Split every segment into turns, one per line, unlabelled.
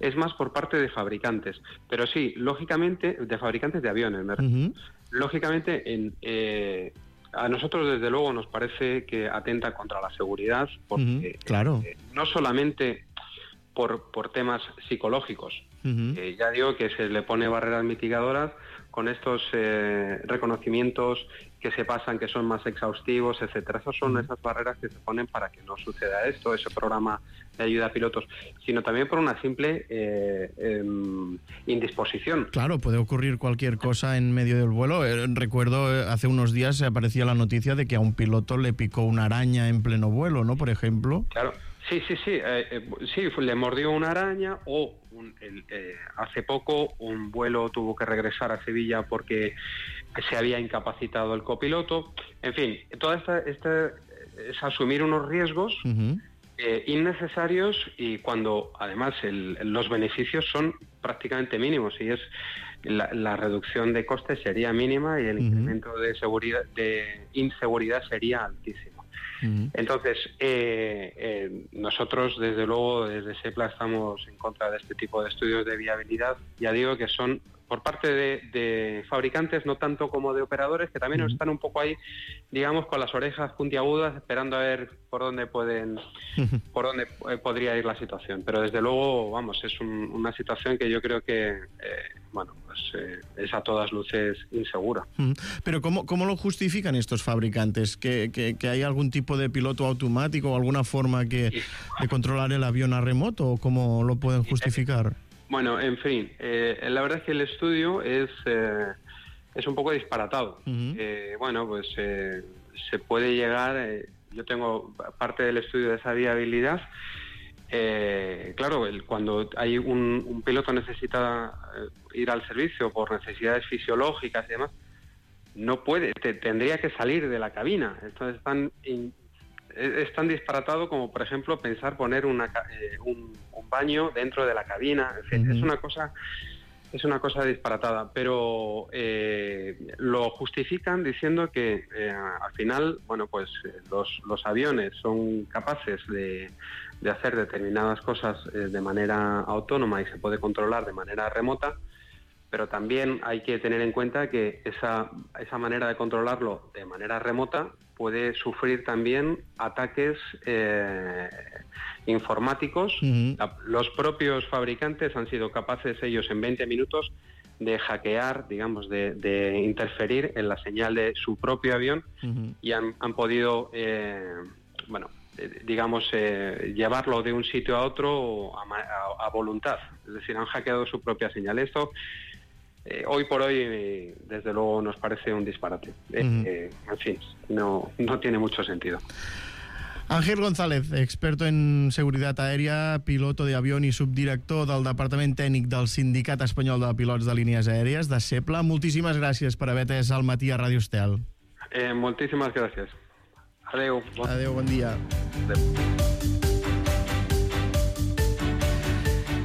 es más por parte de fabricantes. Pero sí, lógicamente, de fabricantes de aviones, me refiero. Lógicamente, a nosotros desde luego nos parece que atenta contra la seguridad, porque
claro.
No solamente por temas psicológicos, ya digo que se le pone barreras mitigadoras con estos reconocimientos que se pasan, que son más exhaustivos, etcétera. Esas son esas barreras que se ponen para que no suceda esto, ese programa de ayuda a pilotos, sino también por una simple indisposición.
Claro, puede ocurrir cualquier cosa en medio del vuelo. Recuerdo, hace unos días aparecía la noticia de que a un piloto le picó una araña en pleno vuelo, ¿no? Por ejemplo.
Claro. Sí, le mordió una araña o hace poco un vuelo tuvo que regresar a Sevilla porque se había incapacitado el copiloto. En fin, toda esta es asumir unos riesgos innecesarios y cuando además los beneficios son prácticamente mínimos y la reducción de costes sería mínima y el incremento de inseguridad sería altísimo. Entonces, nosotros, desde luego, desde SEPLA estamos en contra de este tipo de estudios de viabilidad. Ya digo que son por parte de fabricantes, no tanto como de operadores, que también están un poco ahí, digamos, con las orejas puntiagudas, esperando a ver por dónde podría ir la situación. Pero desde luego, vamos, es una situación que yo creo que, es a todas luces insegura.
Pero ¿cómo lo justifican estos fabricantes? ¿Que hay algún tipo de piloto automático o alguna forma de controlar el avión a remoto? ¿O cómo lo pueden justificar?
Bueno, en fin, la verdad es que el estudio es un poco disparatado. Se puede llegar, yo tengo parte del estudio de esa viabilidad. Claro, cuando hay un piloto necesita ir al servicio por necesidades fisiológicas y demás, no puede, tendría que salir de la cabina. Esto es tan disparatado como, por ejemplo, pensar poner un baño dentro de la cabina. En fin, es una cosa disparatada, pero lo justifican diciendo que al final, los aviones son capaces de hacer determinadas cosas de manera autónoma y se puede controlar de manera remota, pero también hay que tener en cuenta que esa manera de controlarlo de manera remota puede sufrir también ataques informáticos. Los propios fabricantes han sido capaces ellos en 20 minutos de hackear, digamos, de interferir en la señal de su propio avión y han podido, llevarlo de un sitio a otro a voluntad. Es decir, han hackeado su propia señal. Esto hoy por hoy, desde luego, nos parece un disparate. En fin, no tiene mucho sentido.
Ángel González, experto en seguretat aèria, piloto d'avió i subdirector del Departament Tècnic del Sindicat Espanyol de Pilots de Línies Aèries, de SEPLA. Moltíssimes gràcies per haver atès al matí a Ràdio Estel.
Moltíssimes gràcies. Adéu.
Adéu, bon dia.
Adéu.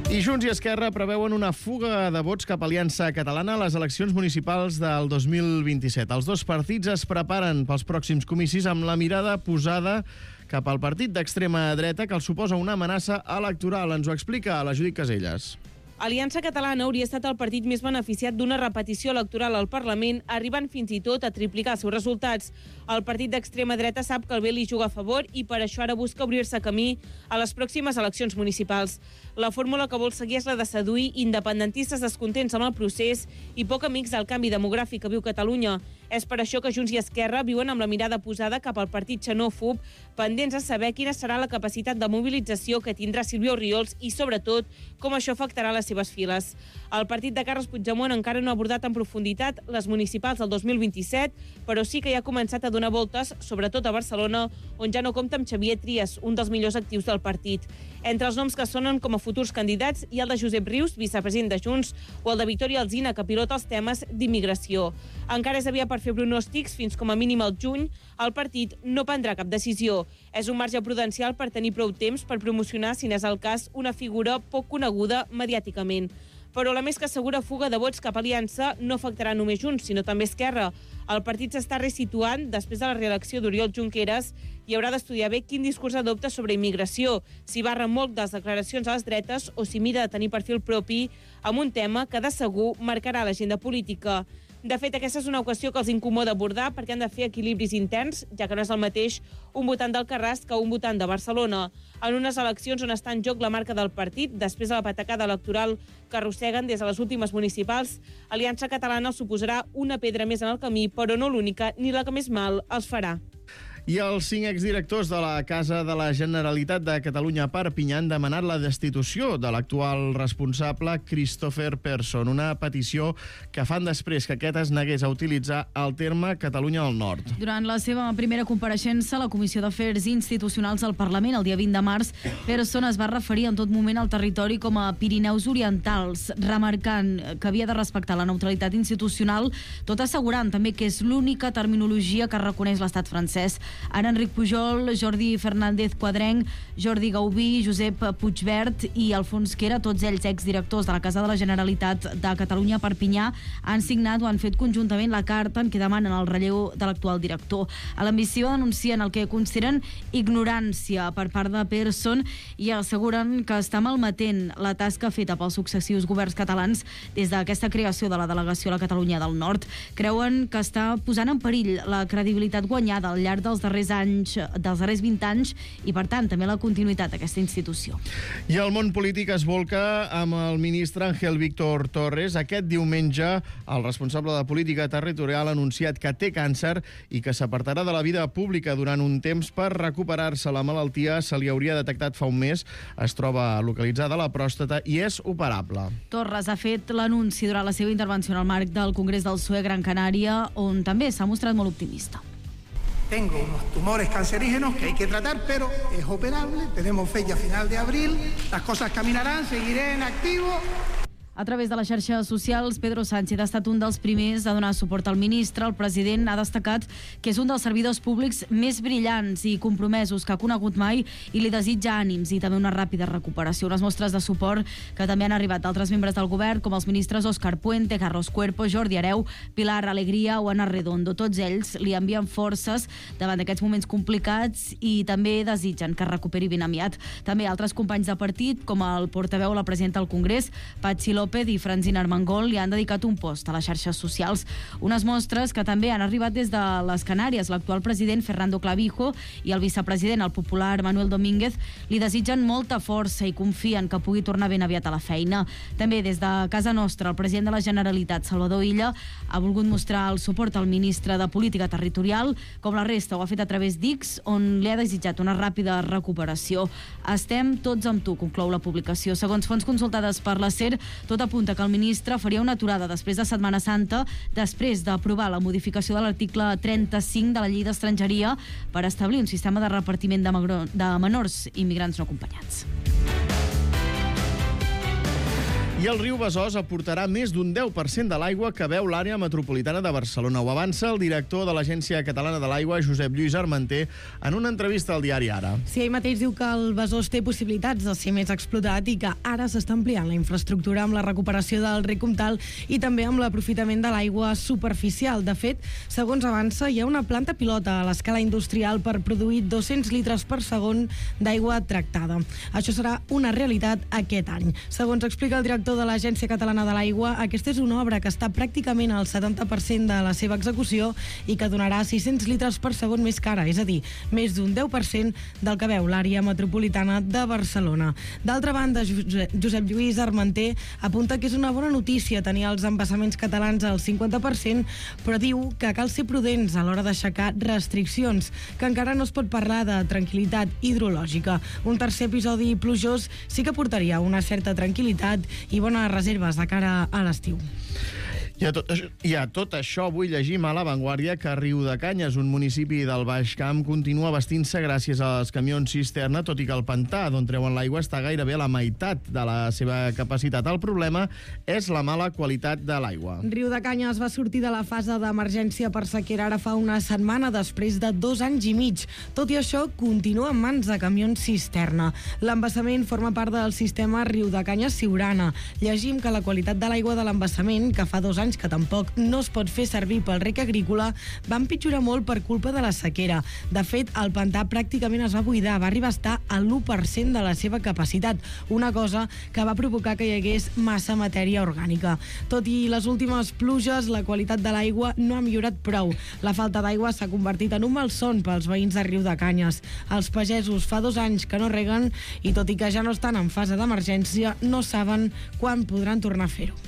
I Junts i Esquerra preveuen una fuga de vots cap a Aliança Catalana a les eleccions municipals del 2027. Els dos partits es preparen pels pròxims comicis amb la mirada posada cap al partit d'extrema dreta que els suposa una amenaça electoral. Ens ho explica la Judit Caselles.
Aliança Catalana hauria estat el partit més beneficiat d'una repetició electoral al Parlament, arribant fins i tot a triplicar els seus resultats. El partit d'extrema dreta sap que el bé li juga a favor i per això ara busca obrir-se camí a les pròximes eleccions municipals. La fórmula que vol seguir és la de seduir independentistes descontents amb el procés i poc amics del canvi demogràfic que viu Catalunya. És per això que Junts i Esquerra viuen amb la mirada posada cap al partit xenòfob, pendents a saber quina serà la capacitat de mobilització que tindrà Sílvia Orriols i, sobretot, com això afectarà les seves files. El partit de Carles Puigdemont encara no ha abordat en profunditat les municipals del 2027, però sí que ja ha començat a donar voltes, sobretot a Barcelona, on ja no compta amb Xavier Trias, un dels millors actius del partit. Entre els noms que sonen com a futurs candidats hi ha el de Josep Rius, vicepresident de Junts, o el de Victòria Alsina, que pilota els temes d'immigració. Encara és aviat per fer pronòstics, fins com a mínim al juny, el partit no prendrà cap decisió. És un marge prudencial per tenir prou temps per promocionar, si n'és el cas, una figura poc coneguda mediàticament. Però la més que segura fuga de vots cap a Aliança no afectarà només Junts, sinó també Esquerra. El partit s'està resituant després de la reelecció d'Oriol Junqueras i haurà d'estudiar bé quin discurs adopta sobre immigració, si va remolc de les declaracions a les dretes o si mira de tenir perfil propi amb un tema que de segur marcarà l'agenda política. De fet, aquesta és una qüestió que els incomoda abordar perquè han de fer equilibris interns, ja que no és el mateix un votant d'Alcarràs que un votant de Barcelona. En unes eleccions on està en joc la marca del partit, després de la patacada electoral que arrosseguen des de les últimes municipals, Aliança Catalana els suposarà una pedra més en el camí, però no l'única ni la que més mal els farà.
I els 5 exdirectors de la Casa de la Generalitat de Catalunya a Perpinyà han demanat la destitució de l'actual responsable Christopher Persson, una petició que fan després que aquest es negués a utilitzar el terme Catalunya del Nord.
Durant la seva primera compareixença a la Comissió d'Afers Institucionals al Parlament el dia 20 de març, Persson es va referir en tot moment al territori com a Pirineus Orientals, remarcant que havia de respectar la neutralitat institucional, tot assegurant també que és l'única terminologia que reconeix l'estat francès. Ara Enric Pujol, Jordi Fernández Quadrenc, Jordi Gaubí, Josep Puigvert i Alfons Quera, tots ells exdirectors de la Casa de la Generalitat de Catalunya a Perpinyà, han signat o han fet conjuntament la carta en què demanen el relleu de l'actual director. A l'ambició denuncien el que consideren ignorància per part de Persson i asseguren que està malmetent la tasca feta pels successius governs catalans des d'aquesta creació de la delegació a la Catalunya del Nord. Creuen que està posant en perill la credibilitat guanyada al llarg dels darrers 20 anys i, per tant, també la continuïtat d'aquesta institució.
I el món polític es volca amb el ministre Ángel Víctor Torres. Aquest diumenge, el responsable de política territorial ha anunciat que té càncer i que s'apartarà de la vida pública durant un temps per recuperar-se. La malaltia se li hauria detectat fa un mes, es troba localitzada a la pròstata i és operable.
Torres ha fet l'anunci durant la seva intervenció en el marc del Congrés del PSOE Gran Canària, on també s'ha mostrat molt optimista.
Tengo unos tumores cancerígenos que hay que tratar, pero es operable. Tenemos fecha final de abril. Las cosas caminarán, seguiré en activo.
A través de les xarxes socials, Pedro Sánchez ha estat un dels primers a donar suport al ministre. El president ha destacat que és un dels servidors públics més brillants i compromesos que ha conegut mai i li desitja ànims i també una ràpida recuperació. Unes mostres de suport que també han arribat d'altres membres del govern, com els ministres Óscar Puente, Carlos Cuerpo, Jordi Hereu, Pilar Alegría o Ana Redondo. Tots ells li envien forces davant d'aquests moments complicats i també desitgen que es recuperi ben aviat. També altres companys de partit, com el portaveu o la presidenta del Congrés, Patxi López i Francina Armengol, li han dedicat un post a les xarxes socials. Unes mostres que també han arribat des de les Canàries. L'actual president Fernando Clavijo i el vicepresident, el popular Manuel Domínguez, li desitgen molta força i confien que pugui tornar ben aviat a la feina. També des de casa nostra, el president de la Generalitat, Salvador Illa, ha volgut mostrar el suport al ministre de Política Territorial, com la resta ho ha fet a través d'X, on li ha desitjat una ràpida recuperació. Estem tots amb tu, conclou la publicació. Segons fonts consultades per la SER, tot apunta que el ministre faria una aturada després de Setmana Santa, després d'aprovar la modificació de l'article 35 de la Llei d'Estrangeria per establir un sistema de repartiment de menors immigrants no acompanyats.
I el riu Besòs aportarà més d'un 10% de l'aigua que beu l'àrea metropolitana de Barcelona. Ho avança el director de l'Agència Catalana de l'Aigua, Josep Lluís Armenter, en una entrevista al diari Ara.
Sí, ell mateix diu que el Besòs té possibilitats de ser més explotat i que ara s'està ampliant la infraestructura amb la recuperació del rec Comtal i també amb l'aprofitament de l'aigua superficial. De fet, segons avança, hi ha una planta pilota a l'escala industrial per produir 200 litres per segon d'aigua tractada. Això serà una realitat aquest any. Segons explica el director de l'Agència Catalana de l'Aigua, aquesta és una obra que està pràcticament al 70% de la seva execució i que donarà 600 litres per segon més cara, és a dir, més d'un 10% del que veu l'àrea metropolitana de Barcelona. D'altra banda, Josep Lluís Armenter apunta que és una bona notícia tenir els embassaments catalans al 50%, però diu que cal ser prudents a l'hora d'aixecar restriccions, que encara no es pot parlar de tranquil·litat hidrològica. Un tercer episodi plujós sí que portaria una certa tranquil·litat i bones reserves de cara a l'estiu.
I a tot això vull llegir a La Vanguardia que Riudecanyes, un municipi del Baix Camp, continua vestint-se gràcies als camions cisterna, tot i que el pantà d'on treuen l'aigua està gairebé a la meitat de la seva capacitat. El problema és la mala qualitat de l'aigua.
Riudecanyes va sortir de la fase d'emergència per sequera ara fa una setmana després de 2 anys i mig. Tot i això, continua en mans de camions cisterna. L'embassament forma part del sistema Riudecanyes-Siurana. Llegim que la qualitat de l'aigua de l'embassament, que fa 2 anys que tampoc no es pot fer servir pel rec agrícola, va empitjorar molt per culpa de la sequera. De fet, el pantà pràcticament es va buidar, va arribar a estar a l'1% de la seva capacitat, una cosa que va provocar que hi hagués massa matèria orgànica. Tot i les últimes pluges, la qualitat de l'aigua no ha millorat prou. La falta d'aigua s'ha convertit en un malson pels veïns de Riudecanyes. Els pagesos fa 2 anys que no reguen i, tot i que ja no estan en fase d'emergència, no saben quan podran tornar a fer-ho.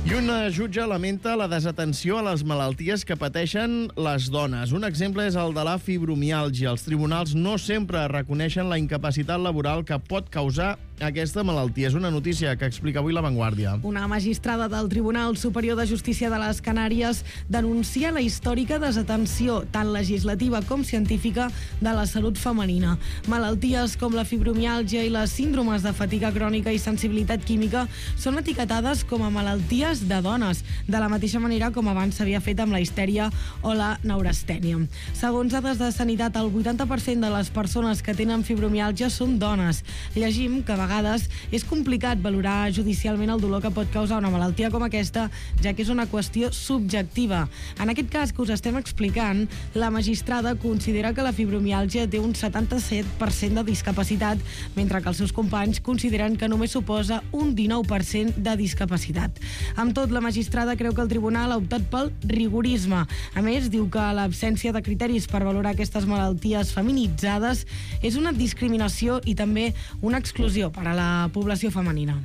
I una jutge lamenta la desatenció a les malalties que pateixen les dones. Un exemple és el de la fibromiàlgia. Els tribunals no sempre reconeixen la incapacitat laboral que pot causar aquesta malaltia. És una notícia que explica avui La Vanguardia.
Una magistrada del Tribunal Superior de Justícia de les Canàries denuncia la històrica desatenció, tant legislativa com científica, de la salut femenina. Malalties com la fibromiàlgia i les síndromes de fatiga crònica i sensibilitat química són etiquetades com a malalties de dones, de la mateixa manera com abans s'havia fet amb la histèria o la neurastènia. Segons dades de Sanitat, el 80% de les persones que tenen fibromiàlgia són dones. Llegim que a vegades és complicat valorar judicialment el dolor que pot causar una malaltia com aquesta, ja que és una qüestió subjectiva. En aquest cas que us estem explicant, la magistrada considera que la fibromiàlgia té un 77% de discapacitat, mentre que els seus companys consideren que només suposa un 19% de discapacitat. Amb tot, la magistrada creu que el tribunal ha optat pel rigorisme. A més, diu que l'absència de criteris per valorar aquestes malalties feminitzades és una discriminació i també una exclusió per a la població femenina.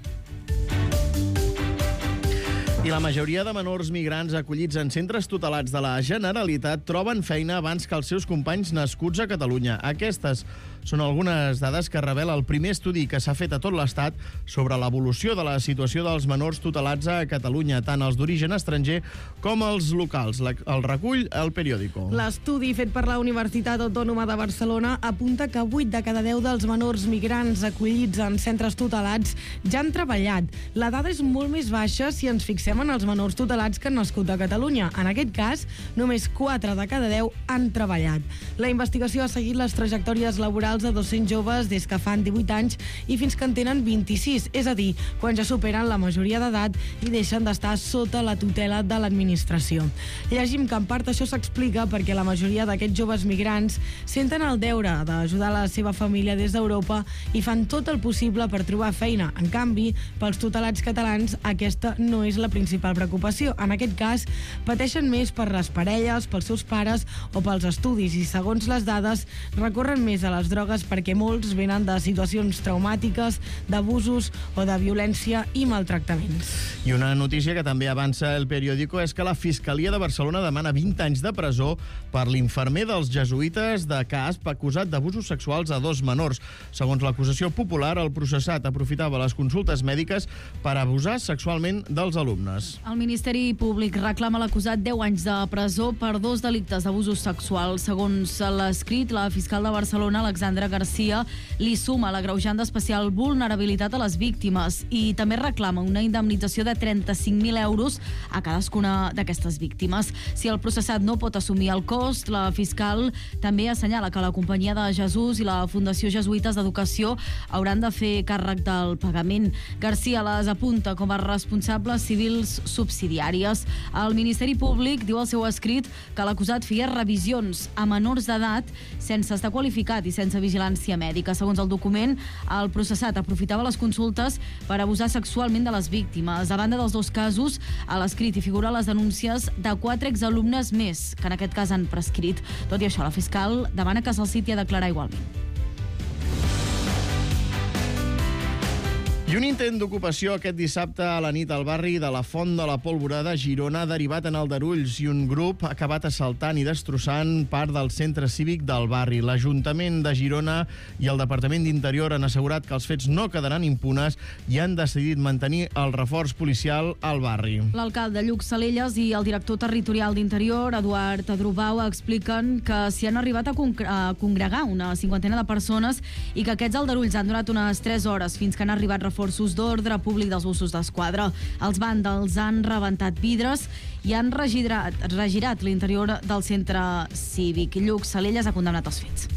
I la majoria de menors migrants acollits en centres tutelats de la Generalitat troben feina abans que els seus companys nascuts a Catalunya. Aquestes són algunes dades que revela el primer estudi que s'ha fet a tot l'Estat sobre l'evolució de la situació dels menors tutelats a Catalunya, tant els d'origen estranger com els locals. El recull El Periódico.
L'estudi fet per la Universitat Autònoma de Barcelona apunta que 8 de cada 10 dels menors migrants acollits en centres tutelats ja han treballat. La dada és molt més baixa si ens fixem en els menors tutelats que han nascut a Catalunya. En aquest cas, només 4 de cada 10 han treballat. La investigació ha seguit les trajectòries laborals de 200 joves des que fan 18 anys i fins que en tenen 26, és a dir, quan ja superen la majoria d'edat i deixen d'estar sota la tutela de l'administració. Llegim que en part això s'explica perquè la majoria d'aquests joves migrants senten el deure d'ajudar la seva família des d'Europa i fan tot el possible per trobar feina. En canvi, pels tutelats catalans aquesta no és la principal preocupació. En aquest cas, pateixen més per les parelles, pels seus pares o pels estudis i, segons les dades, recorren més a les drogues perquè molts venen de situacions traumàtiques, d'abusos o de violència i maltractaments.
I una notícia que també avança El Periódico és que la Fiscalia de Barcelona demana 20 anys de presó per l'infermer dels jesuïtes de Casp acusat d'abusos sexuals a 2 menors. Segons l'acusació popular, el processat aprofitava les consultes mèdiques per abusar sexualment dels alumnes.
El Ministeri Públic reclama l'acusat 10 anys de presó per 2 delictes d'abusos sexuals. Segons l'escrit, la fiscal de Barcelona, Alexandra Garcia, li suma l'agreujant d'especial vulnerabilitat a les víctimes i també reclama una indemnització de 35.000 euros a cadascuna d'aquestes víctimes. Si el processat no pot assumir el cost, la fiscal també assenyala que la Companyia de Jesús i la Fundació Jesuïtes d'Educació hauran de fer càrrec del pagament. Garcia les apunta com a responsables civils subsidiàries. El Ministeri Públic diu al seu escrit que l'acusat feia revisions a menors d'edat sense estar qualificat i sense vigilància mèdica. Segons el document, el processat aprofitava les consultes per abusar sexualment de les víctimes. A banda dels 2 casos, a l'escrit hi figuren les denúncies de 4 exalumnes més, que en aquest cas han prescrit. Tot i això, la fiscal demana que se'l citi a declarar igualment.
I un intent d'ocupació aquest dissabte a la nit al barri de la Font de la Pólvora de Girona ha derivat en aldarulls i un grup ha acabat assaltant i destrossant part del centre cívic del barri. L'Ajuntament de Girona i el Departament d'Interior han assegurat que els fets no quedaran impunes i han decidit mantenir el reforç policial al barri.
L'alcalde Lluc Salelles i el director territorial d'Interior, Eduard Adrubau, expliquen que s'hi han arribat a congregar una cinquantena de persones i que aquests aldarulls han durat unes 3 hores fins que han arribat reforços d'ordre públic dels Mossos d'Esquadra. Els vàndals han rebentat vidres i han regirat l'interior del centre cívic. Lluc Salelles ha condemnat els fets.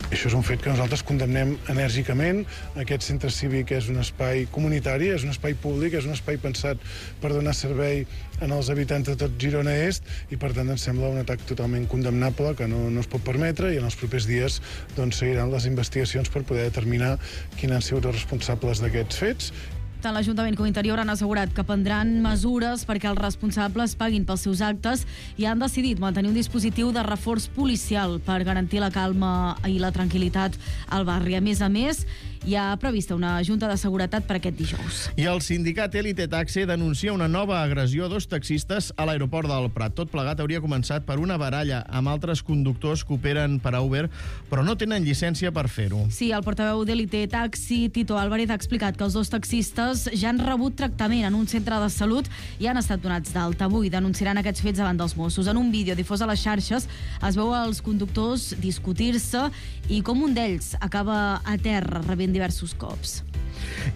Això és un fet que nosaltres condemnem enèrgicament. Aquest centre cívic és un espai comunitari, és un espai públic, és un espai pensat per donar servei als habitants de tot Girona Est i, per tant, ens sembla un atac totalment condemnable que no es pot permetre i en els propers dies seguiran les investigacions per poder determinar quins han sigut els responsables d'aquests fets.
Tant l'Ajuntament com l'Interior han assegurat que prendran mesures perquè els responsables paguin pels seus actes i han decidit mantenir un dispositiu de reforç policial per garantir la calma i la tranquil·litat al barri. A més, hi ha prevista una junta de seguretat per aquest dijous.
I el sindicat Elite Taxi denuncia una nova agressió a 2 taxistes a l'aeroport del Prat. Tot plegat hauria començat per una baralla amb altres conductors que operen per a Uber, però no tenen llicència per fer-ho.
Sí, el portaveu d'Elite Taxi, Tito Álvarez, ha explicat que els 2 taxistes ja han rebut tractament en un centre de salut i han estat donats d'alta. Avui denunciaran aquests fets davant dels Mossos. En un vídeo difós a les xarxes es veu els conductors discutir-se i com un d'ells acaba a terra rebent diversos cops.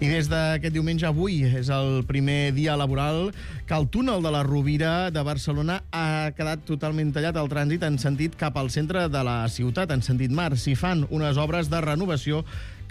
I des d'aquest diumenge, avui és el primer dia laboral que el túnel de la Rovira de Barcelona ha quedat totalment tallat al trànsit en sentit cap al centre de la ciutat, en sentit mar. S'hi fan unes obres de renovació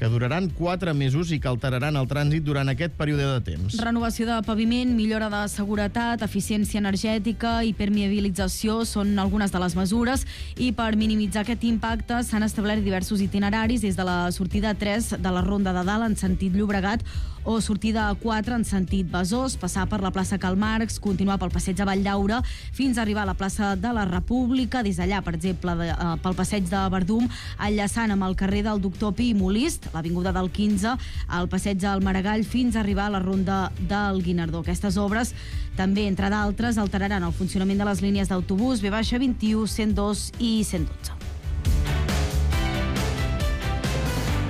que duraran 4 mesos i que alteraran el trànsit durant aquest període de temps.
Renovació de paviment, millora de seguretat, eficiència energètica i permeabilització són algunes de les mesures i per minimitzar aquest impacte s'han establert diversos itineraris des de la sortida 3 de la Ronda de Dalt en sentit Llobregat o sortida 4 en sentit Besòs, passar per la plaça Karl Marx, continuar pel passeig de Valldaura fins a arribar a la plaça de la República, des d'allà, per exemple, pel passeig de Verdum, enllaçant amb el carrer del Doctor Pi i Molist, l'avinguda del 15, al passeig del Maragall fins a arribar a la ronda del Guinardó. Aquestes obres també, entre d'altres, alteraran el funcionament de les línies d'autobús V21, 102 i 112.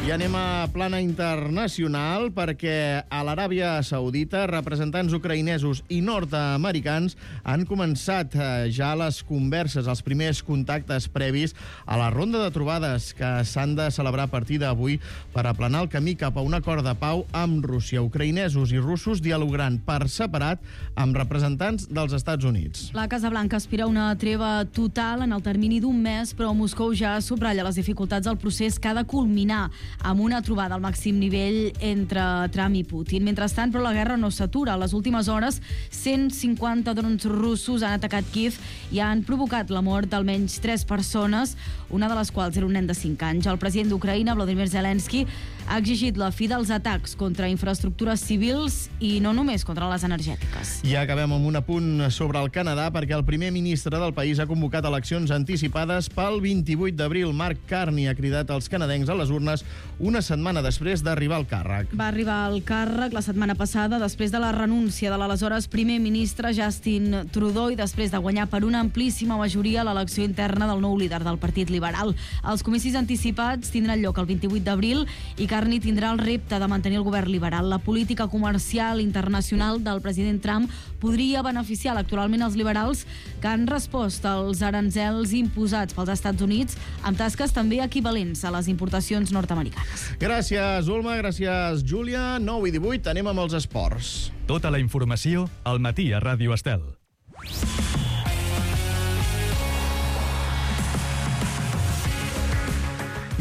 I anem a plana internacional perquè a l'Aràbia Saudita representants ucraïnesos i nord-americans han començat ja les converses, els primers contactes previs a la ronda de trobades que s'han de celebrar a partir d'avui per aplanar el camí cap a un acord de pau amb Rússia. Ucraïnesos i russos dialogaran per separat amb representants dels Estats Units.
La Casa Blanca aspira a una treva total en el termini d'un mes, però Moscou ja subratlla les dificultats del procés que ha de culminar amb una trobada al màxim nivell entre Trump i Putin. Mentrestant, però, la guerra no s'atura. A les últimes hores, 150 drons russos han atacat Kíev i han provocat la mort d'almenys 3 persones, una de les quals era un nen de 5 anys. El president d'Ucraïna, Volodymyr Zelensky, ha exigit la fi dels atacs contra infraestructures civils i no només contra les energètiques.
I acabem amb un apunt sobre el Canadà perquè el primer ministre del país ha convocat eleccions anticipades pel 28 d'abril. Mark Carney ha cridat als canadencs a les urnes una setmana després d'arribar al càrrec.
Va arribar al càrrec la setmana passada després de la renúncia de l'aleshores primer ministre Justin Trudeau i després de guanyar per una amplíssima majoria l'elecció interna del nou líder del Partit Liberal. Els comicis anticipats tindran lloc el 28 d'abril i Carney tindrà el repte de mantenir el govern liberal. La política comercial internacional del president Trump podria beneficiar electoralment els liberals que han respost als aranzels imposats pels Estats Units amb tasques també equivalents a les importacions nord-americanes.
Gràcies, Ulma, gràcies, Júlia. 9 i 18, anem amb els esports.
Tota la informació al matí a Ràdio Estel.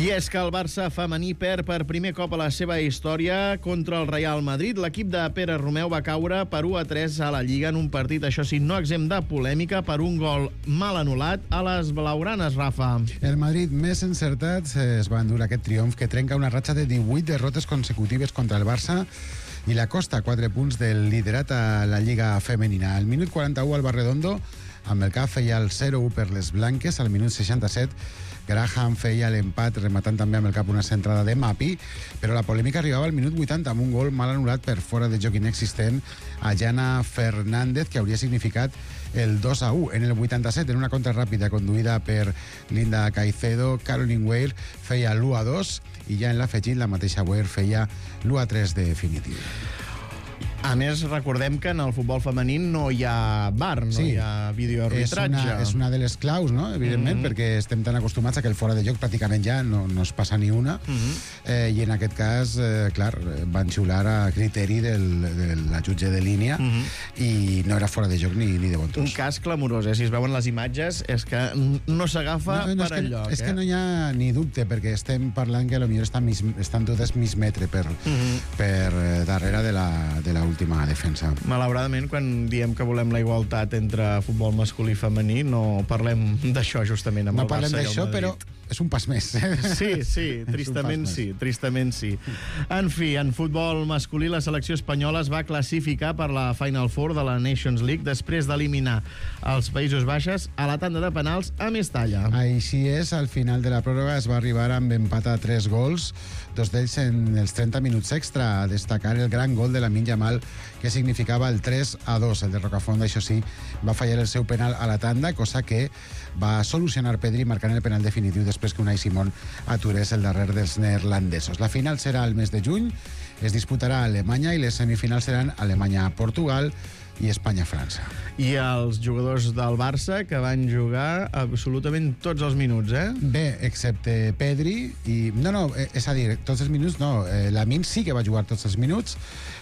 I és que el Barça femení perd per primer cop a la seva història contra el Real Madrid. L'equip de Pere Romeu va caure per 1-3 a la Lliga en un partit, això sí, no exempt de polèmica per un gol mal anul·lat a les blaugranes, Rafa.
El Madrid més encertat es va endur aquest triomf que trenca una ratxa de 18 derrotes consecutives contra el Barça i la costa 4 punts del liderat a la Lliga femenina. Al minut 41 al Barredondo amb el cap feia el 0-1 per les blanques al minut 67. Graham feia l'empat rematant també amb el cap una centrada de Mapi, però la polèmica arribava al minut 80 amb un gol mal anul·lat per fora de joc inexistent a Jana Fernández, que hauria significat el 2-1. En el 87, en una contra ràpida conduïda per Linda Caicedo, Caroline Weir feia l'1-2 i ja en l'afegit la mateixa Weir feia l'1-3 definitiu.
A més, recordem que en el futbol femení no hi ha VAR, no hi ha videoarbitratge.
És una de les claus, no? Evidentment, perquè estem tan acostumats a que el fora de joc pràcticament ja no es passa ni una. I en aquest cas, clar, van xiular a criteri de la jutge de línia i no era fora de joc ni de bon tros.
Un cas clamorós, Si es veuen les imatges, és que no s'agafa per enlloc.
És que no hi ha ni dubte, perquè estem parlant que potser estan totes mig metre per darrere de la última defensa.
Malauradament, quan diem que volem la igualtat entre futbol masculí i femení, no parlem d'això justament amb el Barça i el Madrid.
No parlem d'això, però és un pas més.
Sí, tristament sí. En fi, en futbol masculí, la selecció espanyola es va classificar per la Final Four de la Nations League després d'eliminar els Països Baixos a la tanda de penals a Mestalla.
Així és, al final de la pròrroga es va arribar amb empat a 3 gols, 2 d'ells en els 30 minuts extra, a destacar el gran gol de Lamine Yamal, que significava el 3-2. El de Rocafont, això sí, va fallar el seu penal a la tanda, cosa que va solucionar Pedri marcant el penal definitiu després que Unai Simón aturés el darrer dels neerlandesos. La final serà el mes de juny, es disputarà a Alemanya i les semifinals seran Alemanya-Portugal i Espanya-França.
I els jugadors del Barça que van jugar absolutament tots els minuts,
Bé, excepte Pedri i... No, és a dir, tots els minuts no. Lamine sí que va jugar tots els minuts,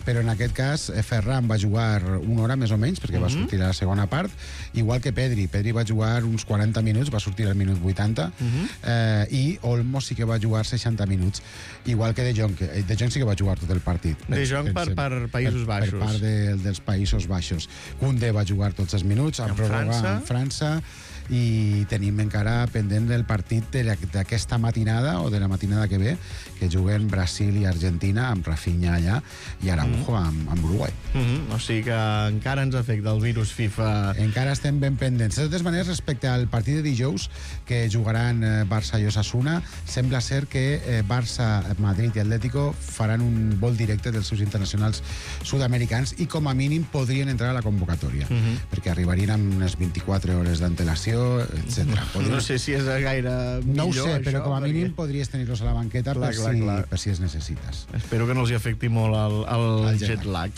però en aquest cas Ferran va jugar una hora més o menys, perquè va sortir a la segona part, igual que Pedri. Pedri va jugar uns 40 minuts, va sortir al minut 80, i Olmo sí que va jugar 60 minuts, igual que De Jong. De Jong sí que va jugar tot el partit.
De Jong per Països Baixos.
Per part dels Països Baixos. Koundé va jugar tots els minuts, en França, i tenim encara pendent el partit d'aquesta matinada o de la matinada que ve, que juguen Brasil i Argentina amb Rafinha allà i Araujo amb Uruguai.
O sigui que encara ens afecta el virus FIFA.
Encara estem ben pendents. De totes maneres, respecte al partit de dijous que jugaran Barça i Osasuna, sembla ser que Barça, Madrid i Atlético faran un vol directe dels seus internacionals sud-americans i com a mínim podrien entrar a la convocatòria, perquè arribarien amb unes 24 hores d'antelació, etc.
No sé si és gaire millor.
No ho sé,
això,
però com a mínim podries tenir-los a la banqueta per si es necessites.
Espero que no els hi afecti molt el jet lag.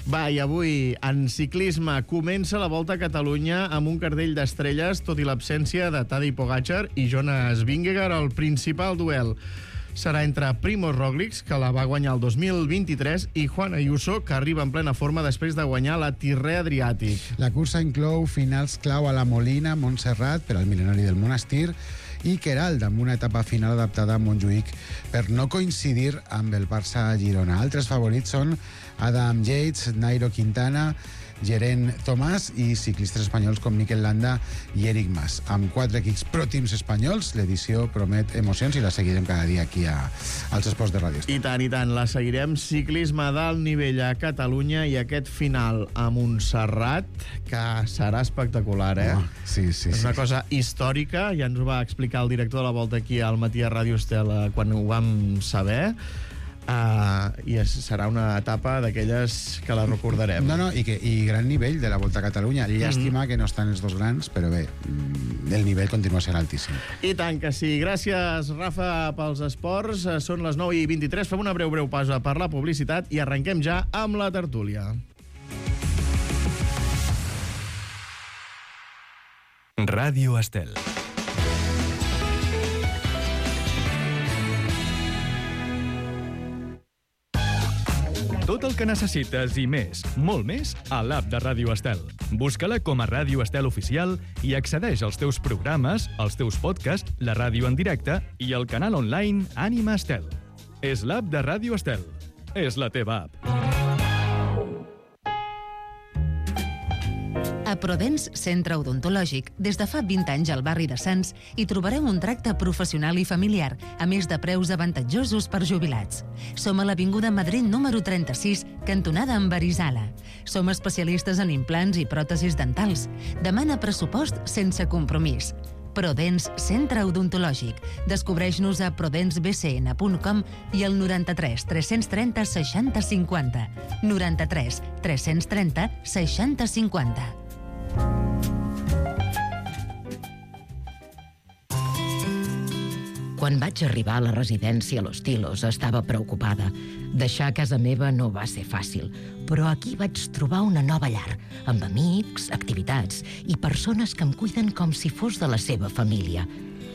Va, i avui, en ciclisme, comença la Volta a Catalunya amb un cartell d'estrelles, tot i l'absència de Tadej Pogačar i Jonas Vingegaard. El principal duel serà entre Primož Roglič, que la va guanyar el 2023, i Juan Ayuso, que arriba en plena forma després de guanyar la Tirrè Adriàtic.
La cursa inclou finals clau a la Molina, Montserrat, per al mil·lenari del Monestir, i Queralt, amb una etapa final adaptada a Montjuïc per no coincidir amb el Barça-Girona. Altres favorits són Adam Yates, Nairo Quintana, Geraint Thomas i ciclistes espanyols com Mikel Landa i Eric Mas. Amb 4 equips pro teams espanyols, l'edició promet emocions i la seguirem cada dia aquí als esports de Ràdio Estel.
I tant, la seguirem. Ciclisme d'alt nivell a Catalunya i aquest final a Montserrat, que serà espectacular,
Sí.
És una cosa històrica, ja ens ho va explicar el director de la Volta aquí al Matí a Ràdio Estel quan ho vam saber. I serà una etapa d'aquelles que la recordarem.
I gran nivell de la Volta a Catalunya. Llàstima que no estan els dos grans, però bé, el nivell continua sent altíssim.
I tant que sí. Gràcies, Rafa, pels esports. Són les 9:23. Fem una breu pausa per la publicitat i arrenquem ja amb la tertúlia.
Ràdio Estel. Tot el que necessites i més, molt més, a l'app de Ràdio Estel. Busca-la com a Ràdio Estel Oficial i accedeix als teus programes, als teus podcasts, la ràdio en directe i el canal online Ànima Estel. És l'app de Ràdio Estel. És la teva app.
A Prodens Centre Odontològic, des de fa 20 anys al barri de Sants, hi trobareu un tracte professional i familiar, a més de preus avantatjosos per jubilats. Som a l'Avinguda Madrid número 36, cantonada amb Arizala. Som especialistes en implants i pròtesis dentals. Demana pressupost sense compromís. Prodens Centre Odontològic. Descobreix-nos a prodensbcn.com i al 93 330 60 50. 93 330 60 50.
Quan vaig arribar a la residència Los Tilos estava preocupada. Deixar casa meva no va ser fàcil, però aquí vaig trobar una nova llar, amb amics, activitats i persones que em cuiden com si fos de la seva família.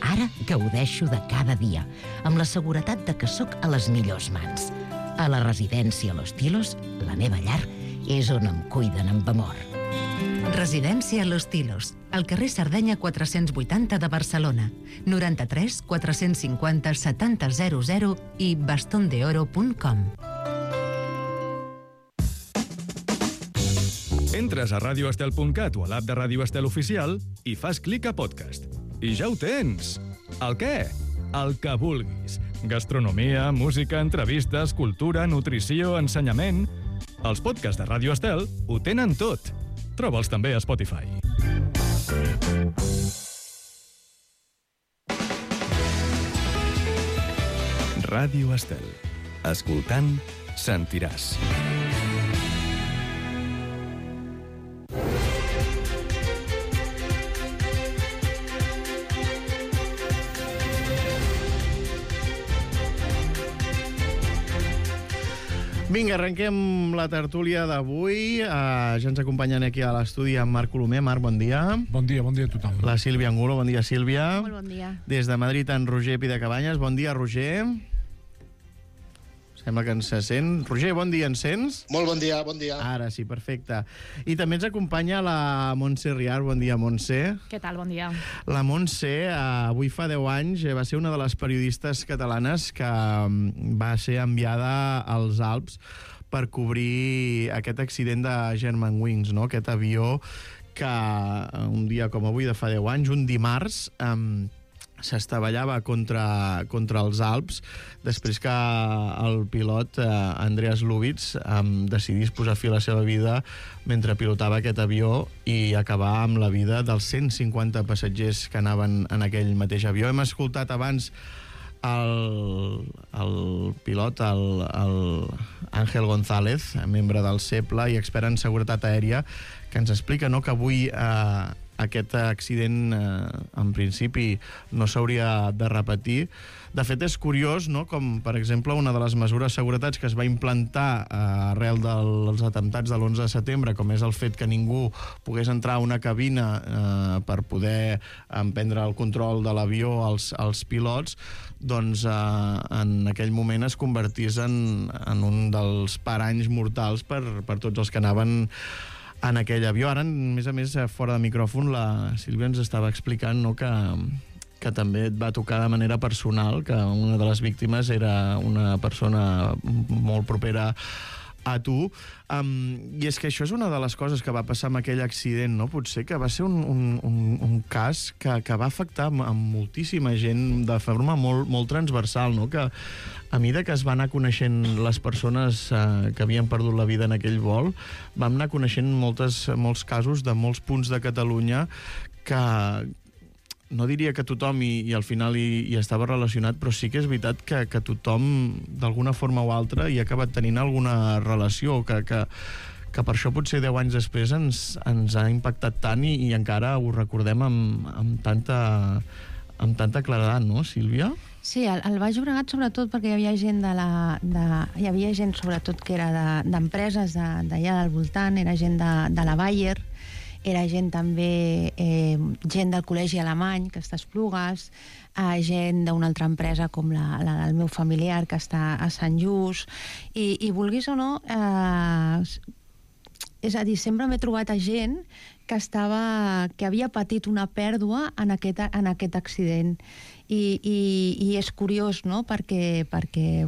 Ara gaudeixo de cada dia, amb la seguretat de que sóc a les millors mans. A la residència Los Tilos, la meva llar, és on em cuiden amb amor.
Residència Los Tilos, al carrer Sardenya 480 de Barcelona, 93 450 7000 i bastondeoro.com.
Entres a radioestel.cat o a l'app de Ràdio Estel Oficial i fas clic a podcast. I ja ho tens! El què? El que vulguis. Gastronomia, música, entrevistes, cultura, nutrició, ensenyament... Els podcasts de Ràdio Estel ho tenen tot. Troba'ls també a Spotify. Ràdio Estel. Escoltant, sentiràs.
Vinga, arrenquem la tertúlia d'avui. Ja ens acompanyen aquí a l'estudi en Marc Colomer. Marc, bon dia.
Bon dia a tothom.
La Sílvia Angulo, bon dia, Sílvia.
Molt bon dia.
Des de Madrid, en Roger Pidecabanyes. Bon dia, Roger. Sembla que ens sent. Roger, bon dia, ens sents?
Molt bon dia, bon dia.
Ara sí, perfecte. I també ens acompanya la Montse Riar. Bon dia, Montse.
Què tal? Bon dia.
La Montse, avui fa 10 anys, va ser una de les periodistes catalanes que va ser enviada als Alps per cobrir aquest accident de Germanwings, no? Aquest avió que un dia com avui de fa 10 anys, un dimarts, s'estavellava contra els Alps després que el pilot Andreas Lubitz decidís posar fi a la seva vida mentre pilotava aquest avió i acabar amb la vida dels 150 passatgers que anaven en aquell mateix avió. Hem escoltat abans el pilot, el Ángel González, membre del CEPLA i expert en seguretat aèria, que ens explica que avui aquest accident, en principi, no s'hauria de repetir. De fet, és curiós, no?, com, per exemple, una de les mesures de seguretat que es va implantar arrel dels atemptats de l'11 de setembre, com és el fet que ningú pogués entrar a una cabina per poder emprendre el control de l'avió als pilots, doncs en aquell moment es convertís en un dels paranys mortals per tots els que anaven en aquell avió. Ara, a més, fora de micròfon, la Sílvia ens estava explicant, no?, que també et va tocar de manera personal, que una de les víctimes era una persona molt propera a tu. I és que això és una de les coses que va passar amb aquell accident, no? Potser que va ser un cas que va afectar a moltíssima gent de forma molt transversal, no? Que a mesura que es van anar coneixent les persones que havien perdut la vida en aquell vol, vam anar coneixent molts casos de molts punts de Catalunya que no diria que tothom i al final hi estava relacionat, però sí que és veritat que tothom, d'alguna forma o altra, hi ha acabat tenint alguna relació, que per això potser 10 anys després ens ha impactat tant i encara ho recordem amb tanta claredat, no, Sílvia?
Sí, al Baix Llobregat sobretot perquè hi havia gent hi havia gent sobretot que era d'empreses d'allà del voltant, era gent de la Bayer, era gent també, gent del col·legi alemany, que està a Esplugues, gent d'una altra empresa com la del meu familiar, que està a Sant Just, i vulguis o no, és a dir, sempre m'he trobat a gent que havia patit una pèrdua en aquest accident. I és curiós, no?, perquè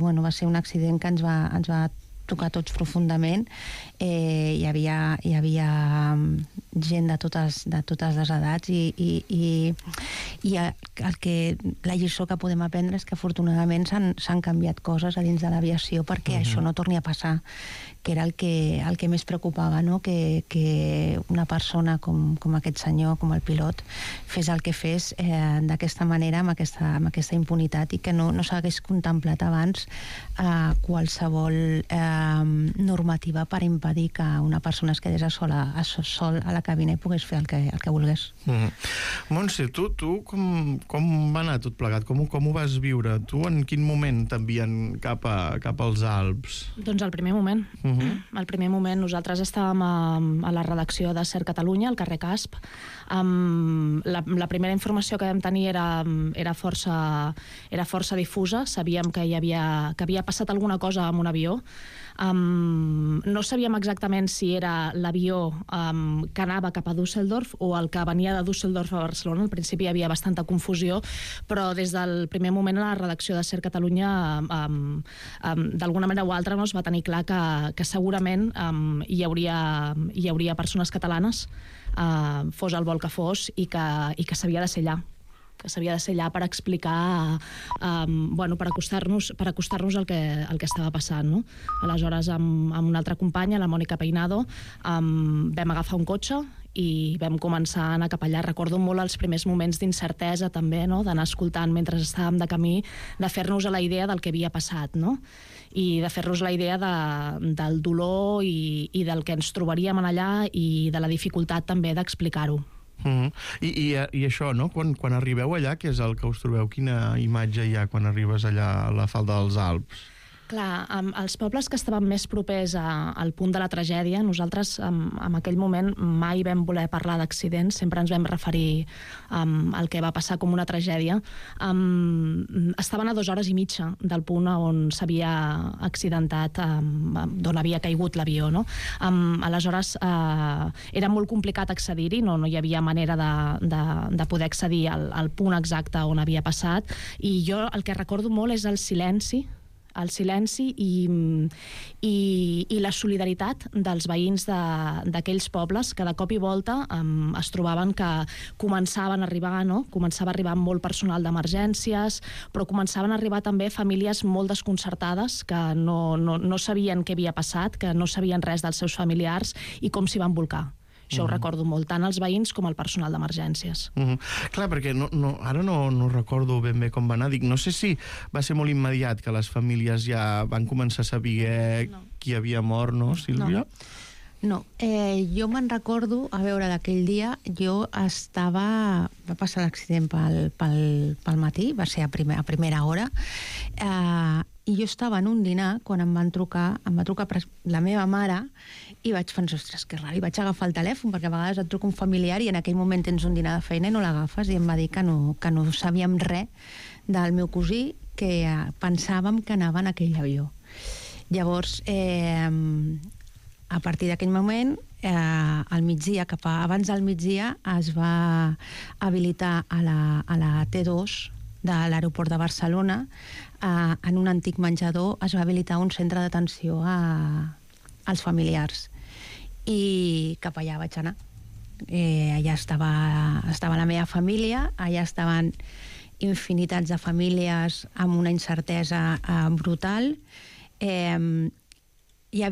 bueno, va ser un accident que ens va tocar tots profundament. Hi havia gent de totes les edats i la lliçó que podem aprendre és que afortunadament s'han canviat coses a dins de l'aviació perquè això no torni a passar, que era el que més preocupava, no? Que una persona com aquest senyor, com el pilot, fes el que fes d'aquesta manera, amb aquesta impunitat, i que no s'hagués contemplat abans qualsevol normativa per impedir que una persona es quedés sol a la cabina i pogués fer el que volgués.
Montse, tu com va anar tot plegat? Com ho vas viure? Tu en quin moment t'envien cap als Alps?
Doncs al primer moment. Al primer moment nosaltres estàvem a la redacció de Ser Catalunya, al carrer Casp. La primera informació que vam tenir era força difusa. Sabíem que havia passat alguna cosa amb un avió. No sabíem exactament si era l'avió que anava cap a Düsseldorf o el que venia de Düsseldorf a Barcelona. Al principi hi havia bastanta confusió, però des del primer moment a la redacció de Ser Catalunya d'alguna manera o altra es va tenir clar que segurament hi hauria persones catalanes, fos el vol que fos, i que s'havia de ser allà per explicar, per acostar-nos al que estava passant, no? Aleshores, amb una altra companya, la Mònica Peinado, vam agafar un cotxe i vam començar a anar cap allà. Recordo molt els primers moments d'incertesa també, no? D'anar escoltant mentre estàvem de camí, de fer-nos a la idea del que havia passat, no? I de fer-nos la idea del dolor i del que ens trobaríem allà i de la dificultat també d'explicar-ho.
I això, no? Quan arribeu allà, què és el que us trobeu? Quina imatge hi ha quan arribes allà a la falda dels Alps?
Clar, els pobles que estaven més propers al punt de la tragèdia, nosaltres en aquell moment mai vam voler parlar d'accidents, sempre ens vam referir al que va passar com una tragèdia. Estaven a 2 hores i mitja del punt on s'havia accidentat, d'on havia caigut l'avió, no? Aleshores, era molt complicat accedir-hi, no hi havia manera de poder accedir al punt exacte on havia passat, i jo el que recordo molt és el silenci i la solidaritat dels veïns d'aquells pobles que de cop i volta es trobaven que començaven a arribar, no? Començava a arribar molt personal d'emergències, però començaven a arribar també famílies molt desconcertades que no sabien què havia passat, que no sabien res dels seus familiars i com s'hi van bolcar. Això ho recordo molt, tant els veïns com el personal d'emergències.
Clar, perquè ara no recordo ben bé com va anar. No sé si va ser molt immediat que les famílies ja van començar a saber qui havia mort, no, Sílvia?
No, jo me'n recordo, a veure, d'aquell dia, va passar l'accident pel matí, va ser a primera hora, i jo estava en un dinar quan em va trucar la meva mare i vaig pensar, ostres, que raro, i vaig agafar el telèfon, perquè a vegades et truca un familiar i en aquell moment tens un dinar de feina i no l'agafes, i em va dir que no sabíem res del meu cosí, que pensàvem que anava en aquell avió. Llavors, a partir d'aquell moment, al migdia, abans del migdia, es va habilitar a la T2 de l'aeroport de Barcelona, en un antic menjador es va habilitar un centre d'atenció als familiars, i cap allà vaig anar. Allà estava la meva família, allà estaven infinitats de famílies amb una incertesa brutal. Jo ja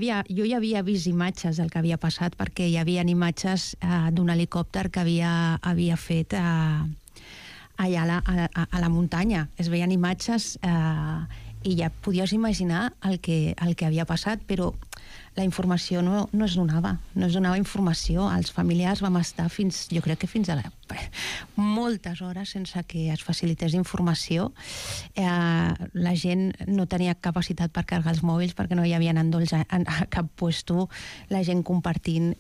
havia vist imatges del que havia passat, perquè hi havia imatges d'un helicòpter que havia fet allà a la muntanya. Es veien imatges i ja podies imaginar el que havia passat, però la informació no es donava informació. Els familiars vam estar jo crec que fins a moltes hores sense que es facilités informació. La gent no tenia capacitat per carregar els mòbils perquè no hi havia endolls a cap puesto, la gent compartint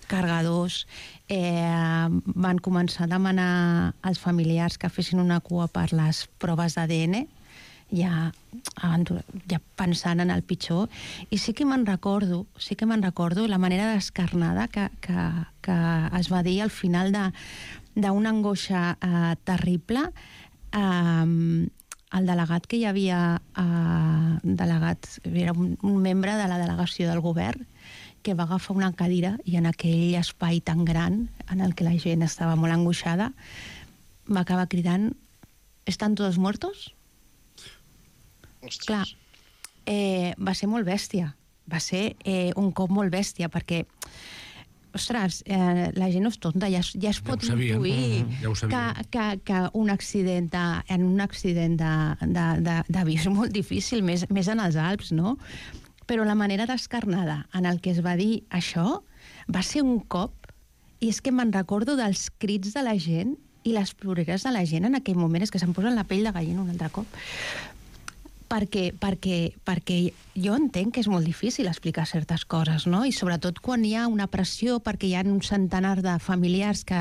cargadors. Van començar a demanar als familiars que fessin una cua per les proves d'ADN, ja pensant en el pitjor. I sí que me'n recordo la manera descarnada que es va dir al final d'una angoixa terrible. el delegat que hi havia, era un membre de la delegació del govern, que va agafar una cadira i en aquell espai tan gran, en el que la gent estava molt angoixada, va acabar cridant «Estan todos muertos?» Clar, va ser molt bèstia. Va ser un cop molt bèstia, perquè ostres, la gent no és tonta, ja es pot intuir que un accident d'avió és molt difícil, més en els Alps, no? Però la manera descarnada en el que es va dir això va ser un cop, i és que me'n recordo dels crits de la gent i les ploreres de la gent en aquell moment, és que se'm posa la pell de gallina un altre cop. Perquè jo entenc que és molt difícil explicar certes coses, no? I sobretot quan hi ha una pressió, perquè hi ha un centenar de familiars que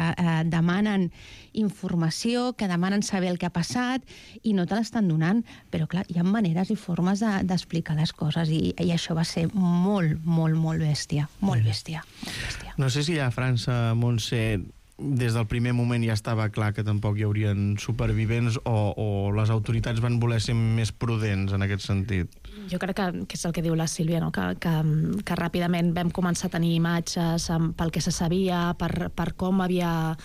demanen informació, que demanen saber el que ha passat i no te l'estan donant. Però clar, hi ha maneres i formes d'explicar les coses i això va ser molt, molt, molt bèstia. Molt bèstia.
No sé si a França, Montse, des del primer moment ja estava clar que tampoc hi haurien supervivents o les autoritats van voler ser més prudents en aquest sentit?
Jo crec que és el que diu la Sílvia, no? que ràpidament vam començar a tenir imatges pel que se sabia, per com havia...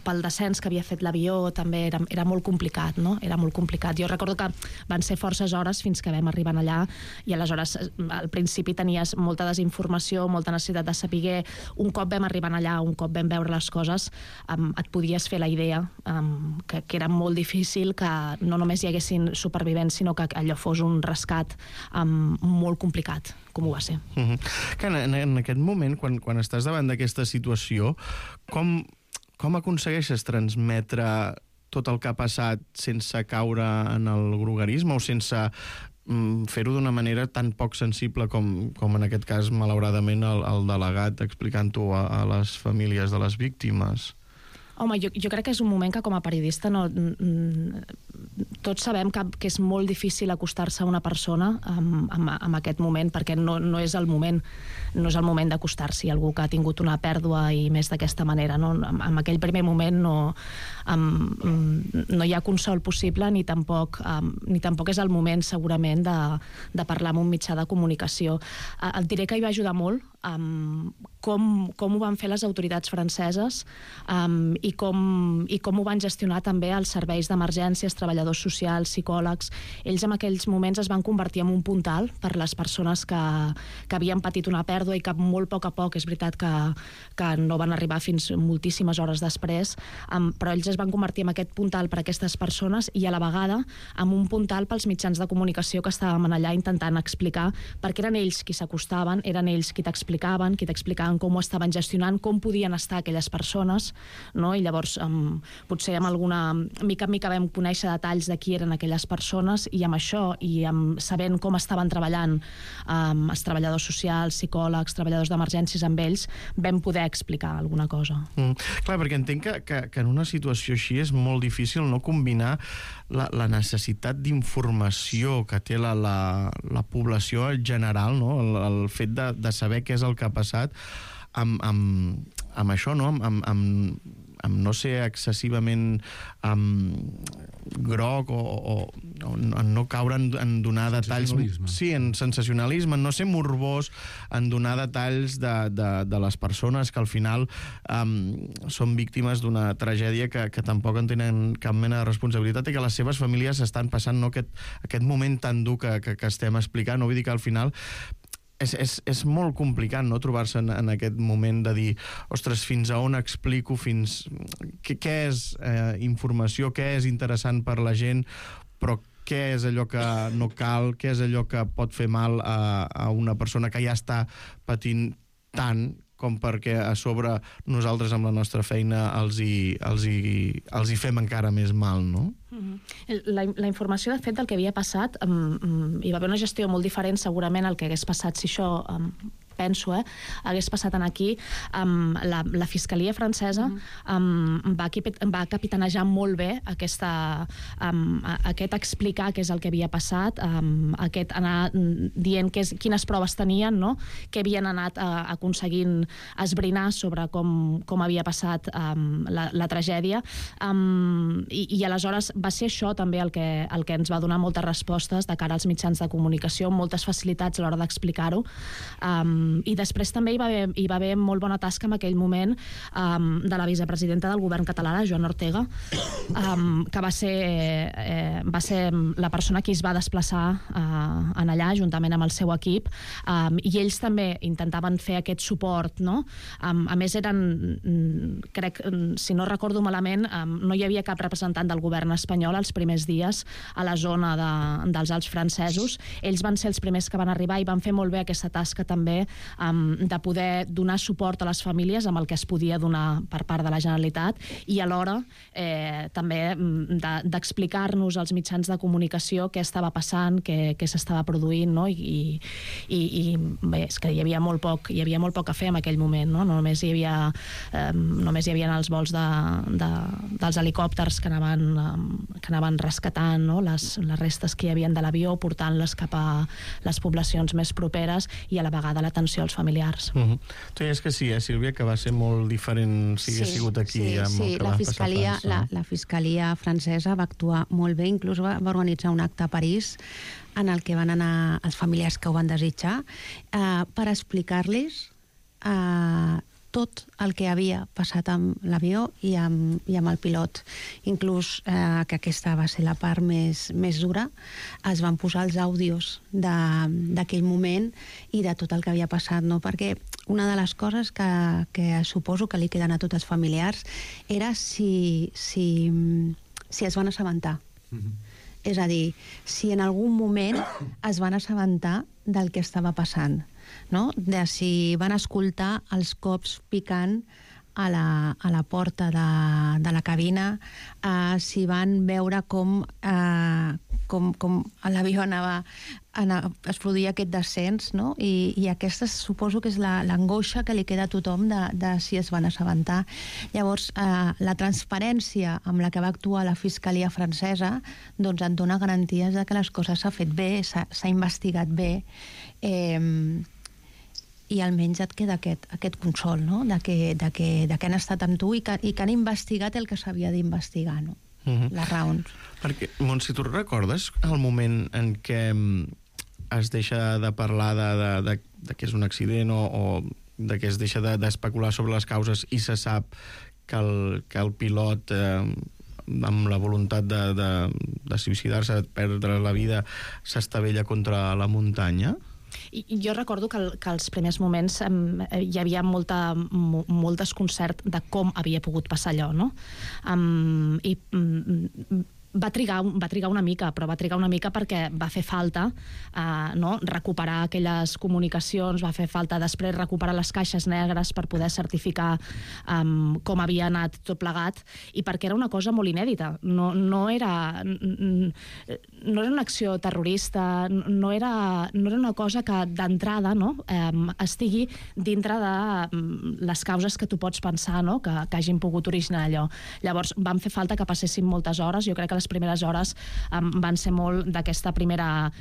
pel descens que havia fet l'avió, també era molt complicat, no? Era molt complicat. Jo recordo que van ser forces hores fins que vam arribar allà i aleshores al principi tenies molta desinformació, molta necessitat de saber. Un cop vam arribar allà, un cop vam veure les coses, et podies fer la idea que era molt difícil que no només hi haguessin supervivents, sinó que allò fos un rescat molt complicat, com ho va ser.
En aquest moment, quan estàs davant d'aquesta situació, com aconsegueixes transmetre tot el que ha passat sense caure en el groguerisme o sense fer-ho d'una manera tan poc sensible com en aquest cas, malauradament, el delegat explicant-ho a les famílies de les víctimes?
Home, jo crec que és un moment que com a periodista tots sabem que és molt difícil acostar-se a una persona en aquest moment, perquè no és el moment d'acostar-s'hi a algú que ha tingut una pèrdua i més d'aquesta manera. En aquell primer moment no hi ha consol possible ni tampoc és el moment segurament de parlar amb un mitjà de comunicació. Et diré que hi va ajudar molt com ho van fer les autoritats franceses i com ho van gestionar també els serveis d'emergències, treballadors socials, psicòlegs. Ells en aquells moments es van convertir en un puntal per les persones que havien patit una pèrdua i que molt a poc, és veritat que no van arribar fins moltíssimes hores després, però ells es van convertir en aquest puntal per a aquestes persones i a la vegada en un puntal pels mitjans de comunicació que estàvem allà intentant explicar, perquè eren ells qui s'acostaven, eren ells qui t'explicaven com ho estaven gestionant, com podien estar aquelles persones, no? I llavors potser amb alguna mica en mica vam conèixer detalls de qui eren aquelles persones i amb això i sabent com estaven treballant els treballadors socials, psicòlegs, treballadors d'emergències amb ells, vam poder explicar alguna cosa.
Clar, perquè entenc que en una situació així és molt difícil no combinar la necessitat d'informació que té la població en general, no? El fet de saber què és el que ha passat amb això, no? Amb no ser excessivament groc o no caure en donar detalls... Sí, en sensacionalisme, en no ser morbós, en donar detalls de les persones que al final són víctimes d'una tragèdia que tampoc en tenen cap mena de responsabilitat i que les seves famílies estan passant aquest moment tan dur que estem explicant. No vull dir que al final... És molt complicat, no?, trobar-se en aquest moment de dir, ostres, fins a on explico, què és informació, què és interessant per la gent, però què és allò que no cal, què és allò que pot fer mal a una persona que ja està patint tant com perquè a sobre nosaltres amb la nostra feina els hi fem encara més mal, no?
La informació, de fet, del que havia passat, hi va haver una gestió molt diferent segurament al que hagués passat si això penso, hagués passat aquí, la Fiscalia francesa va capitanejar molt bé aquest explicar què és el que havia passat, aquest anar dient quines proves tenien, no? Què havien anat aconseguint esbrinar sobre com havia passat la tragèdia, i aleshores va ser això també el que ens va donar moltes respostes de cara als mitjans de comunicació, moltes facilitats a l'hora d'explicar-ho, i després també hi va haver molt bona tasca en aquell moment de la vicepresidenta del govern català, la Joana Ortega, que va ser la persona que es va desplaçar en allà juntament amb el seu equip, i ells també intentaven fer aquest suport, no? A més crec, si no recordo malament, no hi havia cap representant del govern espanyol els primers dies a la zona dels Alps francesos. Ells van ser els primers que van arribar i van fer molt bé aquesta tasca també de poder donar suport a les famílies amb el que es podia donar per part de la Generalitat, i alhora també d'explicar-nos als mitjans de comunicació què estava passant, què s'estava produint, no? I bé, és que hi havia molt poc a fer en aquell moment, no? Només hi havia els vols dels helicòpters que anaven rescatant, no? Les restes que hi havia de l'avió, portant-les cap a les poblacions més properes, i a la vegada l'atenció als familiars.
Tu deies que sí, Sílvia, que va ser molt diferent si hagués sigut aquí amb el que va passar a França.
La Fiscalia francesa va actuar molt bé, inclús va organitzar un acte a París en el que van anar els familiars que ho van desitjar per explicar-los tot el que havia passat amb l'avió i amb el pilot. Inclús, que aquesta va ser la part més dura, es van posar els àudios d'aquell moment i de tot el que havia passat, no? Perquè una de les coses que suposo que li queden a tots els familiars era si es van assabentar. És a dir, si en algun moment es van assabentar del que estava passant, no? De si van escoltar els cops picant a la porta de la cabina, si van veure com l'avió es produïa aquest descens, no? I aquesta suposo que és l'angoixa que li queda a tothom de si es van assabentar. Llavors, la transparència amb la que va actuar la Fiscalia francesa doncs et dona garanties de que les coses s'ha fet bé, s'ha investigat bé, i almenys et queda aquest consol, no? De que han estat amb tu i que han investigat el que s'havia d'investigar, no? Les raons.
Perquè, Montse, tu recordes el moment en què es deixa de parlar de que és un accident o de que es deixa d'especular sobre les causes i se sap que el pilot, amb la voluntat de suïcidar-se, de perdre la vida, s'estavella contra la muntanya?
Jo recordo que als primers moments hi havia molt desconcert de com havia pogut passar allò, no? I va trigar una mica, però va trigar una mica perquè va fer falta recuperar aquelles comunicacions, va fer falta després recuperar les caixes negres per poder certificar com havia anat tot plegat, i perquè era una cosa molt inèdita. No era una acció terrorista, no era una cosa que d'entrada estigui dintre de les causes que tu pots pensar que hagin pogut originar allò. Llavors van fer falta que passessin moltes hores. Jo crec que les primeres hores van ser molt d'aquesta primera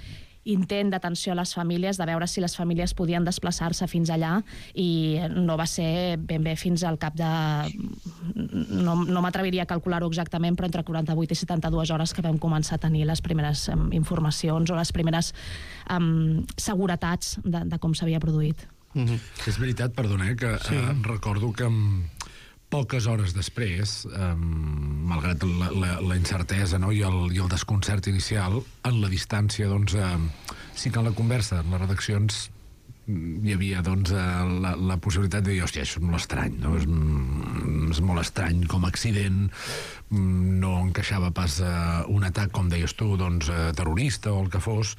intent d'atenció a les famílies, de veure si les famílies podien desplaçar-se fins allà, i no va ser ben bé fins al cap de... No m'atreviria a calcular-ho exactament, però entre 48 i 72 hores que vam començar a tenir les primeres informacions o les primeres seguretats de com s'havia produït.
És veritat, perdona, que recordo que poques hores després, malgrat la incertesa i el desconcert inicial, en la distància, doncs, sí que en la conversa, en les redaccions, hi havia la possibilitat de dir, hòstia, això és molt estrany, no? És molt estrany com a accident, no encaixava pas un atac, com deies tu, terrorista o el que fos,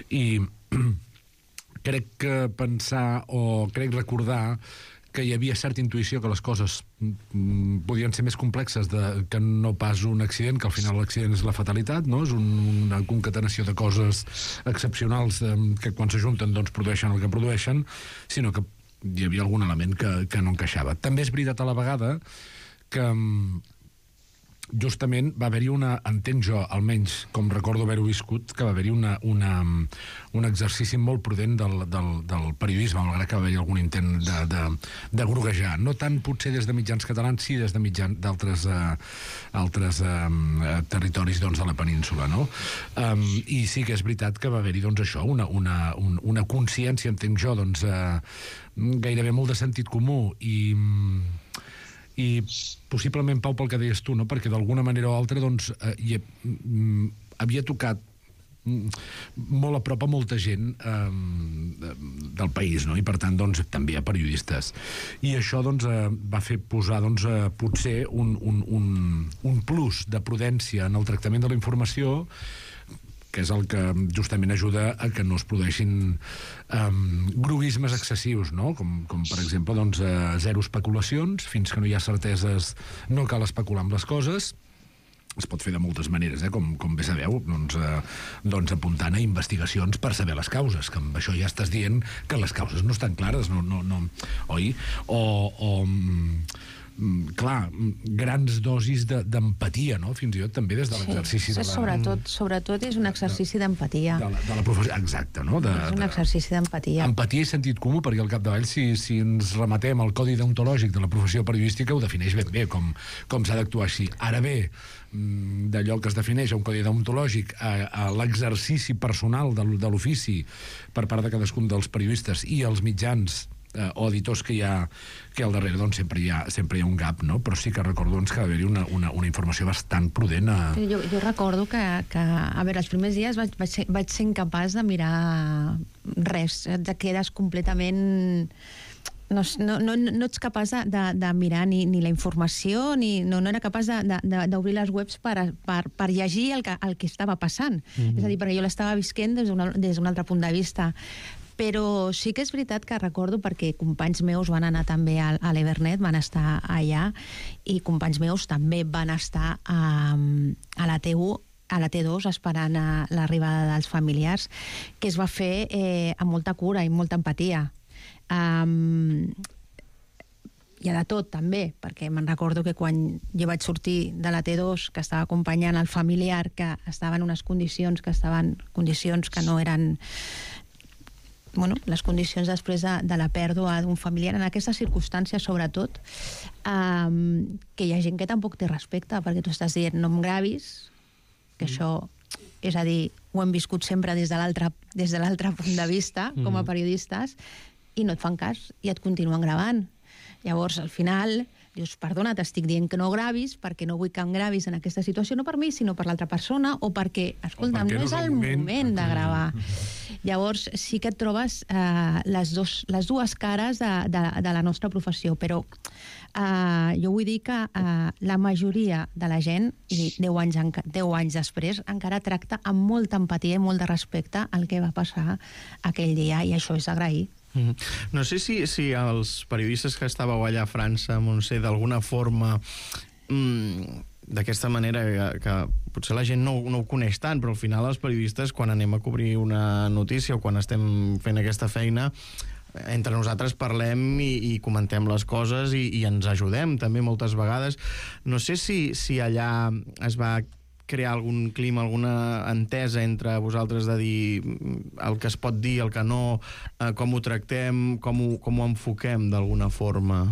i crec recordar que hi havia certa intuïció que les coses podien ser més complexes que no pas un accident, que al final l'accident és la fatalitat, no? És una concatenació de coses excepcionals que quan s'ajunten doncs produeixen el que produeixen, sinó que hi havia algun element que no encaixava. També és veritat a la vegada que justament va haver-hi entenc jo, almenys com recordo haver-ho viscut, que va haver-hi un exercici molt prudent del periodisme, malgrat que va haver-hi algun intent de groguejar. No tant potser des de mitjans catalans, sí des de mitjans d'altres territoris de la península, no? I sí que és veritat que va haver-hi això, una consciència, entenc jo, gairebé molt de sentit comú i possiblement, Pau, pel que deies tu, no? Perquè d'alguna manera o altra havia tocat molt a prop a molta gent del país, no? I per tant també a periodistes, i això va fer posar potser un plus de prudència en el tractament de la informació, que és el que justament ajuda a que no es produeixin groguismes excessius, no? Com per exemple, zero especulacions, fins que no hi ha certeses no cal especular amb les coses. Es pot fer de moltes maneres, com bé sabeu, apuntant a investigacions per saber les causes, que amb això ja estàs dient que les causes no estan clares, oi? Clar, grans dosis d'empatia, no? Fins i tot també des de l'exercici de la...
Sobretot és un exercici d'empatia.
De la professió, exacte, no?
És un exercici d'empatia.
Empatia i sentit comú, perquè al capdavall, si ens rematem al codi deontològic de la professió periodística, ho defineix ben bé, com s'ha d'actuar així. Ara bé, d'allò que es defineix a un codi deontològic a l'exercici personal de l'ofici per part de cadascun dels periodistes i els mitjans o editors que hi ha al darrere, sempre hi ha un gap, no? Però sí que recordo que va haver-hi una informació bastant prudent.
Jo recordo que a veure, els primers dies vaig ser incapaç de mirar res, et quedes completament... No ets capaç de mirar ni la informació, no era capaç d'obrir les webs per llegir el que estava passant. És a dir, perquè jo l'estava visquent des d'un altre punt de vista. Però sí que és veritat que recordo, perquè companys meus van anar també a l'Evernet, van estar allà, i companys meus també van estar a la T1, a la T2, esperant l'arribada dels familiars, que es va fer amb molta cura i molta empatia. Hi ha de tot, també, perquè me'n recordo que quan jo vaig sortir de la T2, que estava acompanyant el familiar, que estava en unes condicions que no eren... les condicions després de la pèrdua d'un familiar, en aquestes circumstàncies sobretot, que hi ha gent que tampoc té respecte, perquè tu estàs dient no em gravis, que això, és a dir, ho hem viscut sempre des de l'altre punt de vista, com a periodistes, i no et fan cas, i et continuen gravant. Llavors, al final, dius, perdona, t'estic dient que no gravis, perquè no vull que em gravis en aquesta situació, no per mi, sinó per l'altra persona, o perquè, escolta'm, no és el moment de gravar. Llavors, sí que et trobes les dues cares de la nostra professió, però jo vull dir que la majoria de la gent, i 10 anys després, encara tracta amb molta empatia i molt de respecte el que va passar aquell dia, i això és agrair.
No sé si els periodistes que estàveu allà a França, Montse, d'alguna forma, d'aquesta manera, que potser la gent no ho coneix tant, però al final els periodistes, quan anem a cobrir una notícia o quan estem fent aquesta feina, entre nosaltres parlem i comentem les coses i ens ajudem també moltes vegades. No sé si allà es va crear algun clima, alguna entesa entre vosaltres de dir el que es pot dir, el que no, com ho tractem, com ho enfoquem d'alguna forma?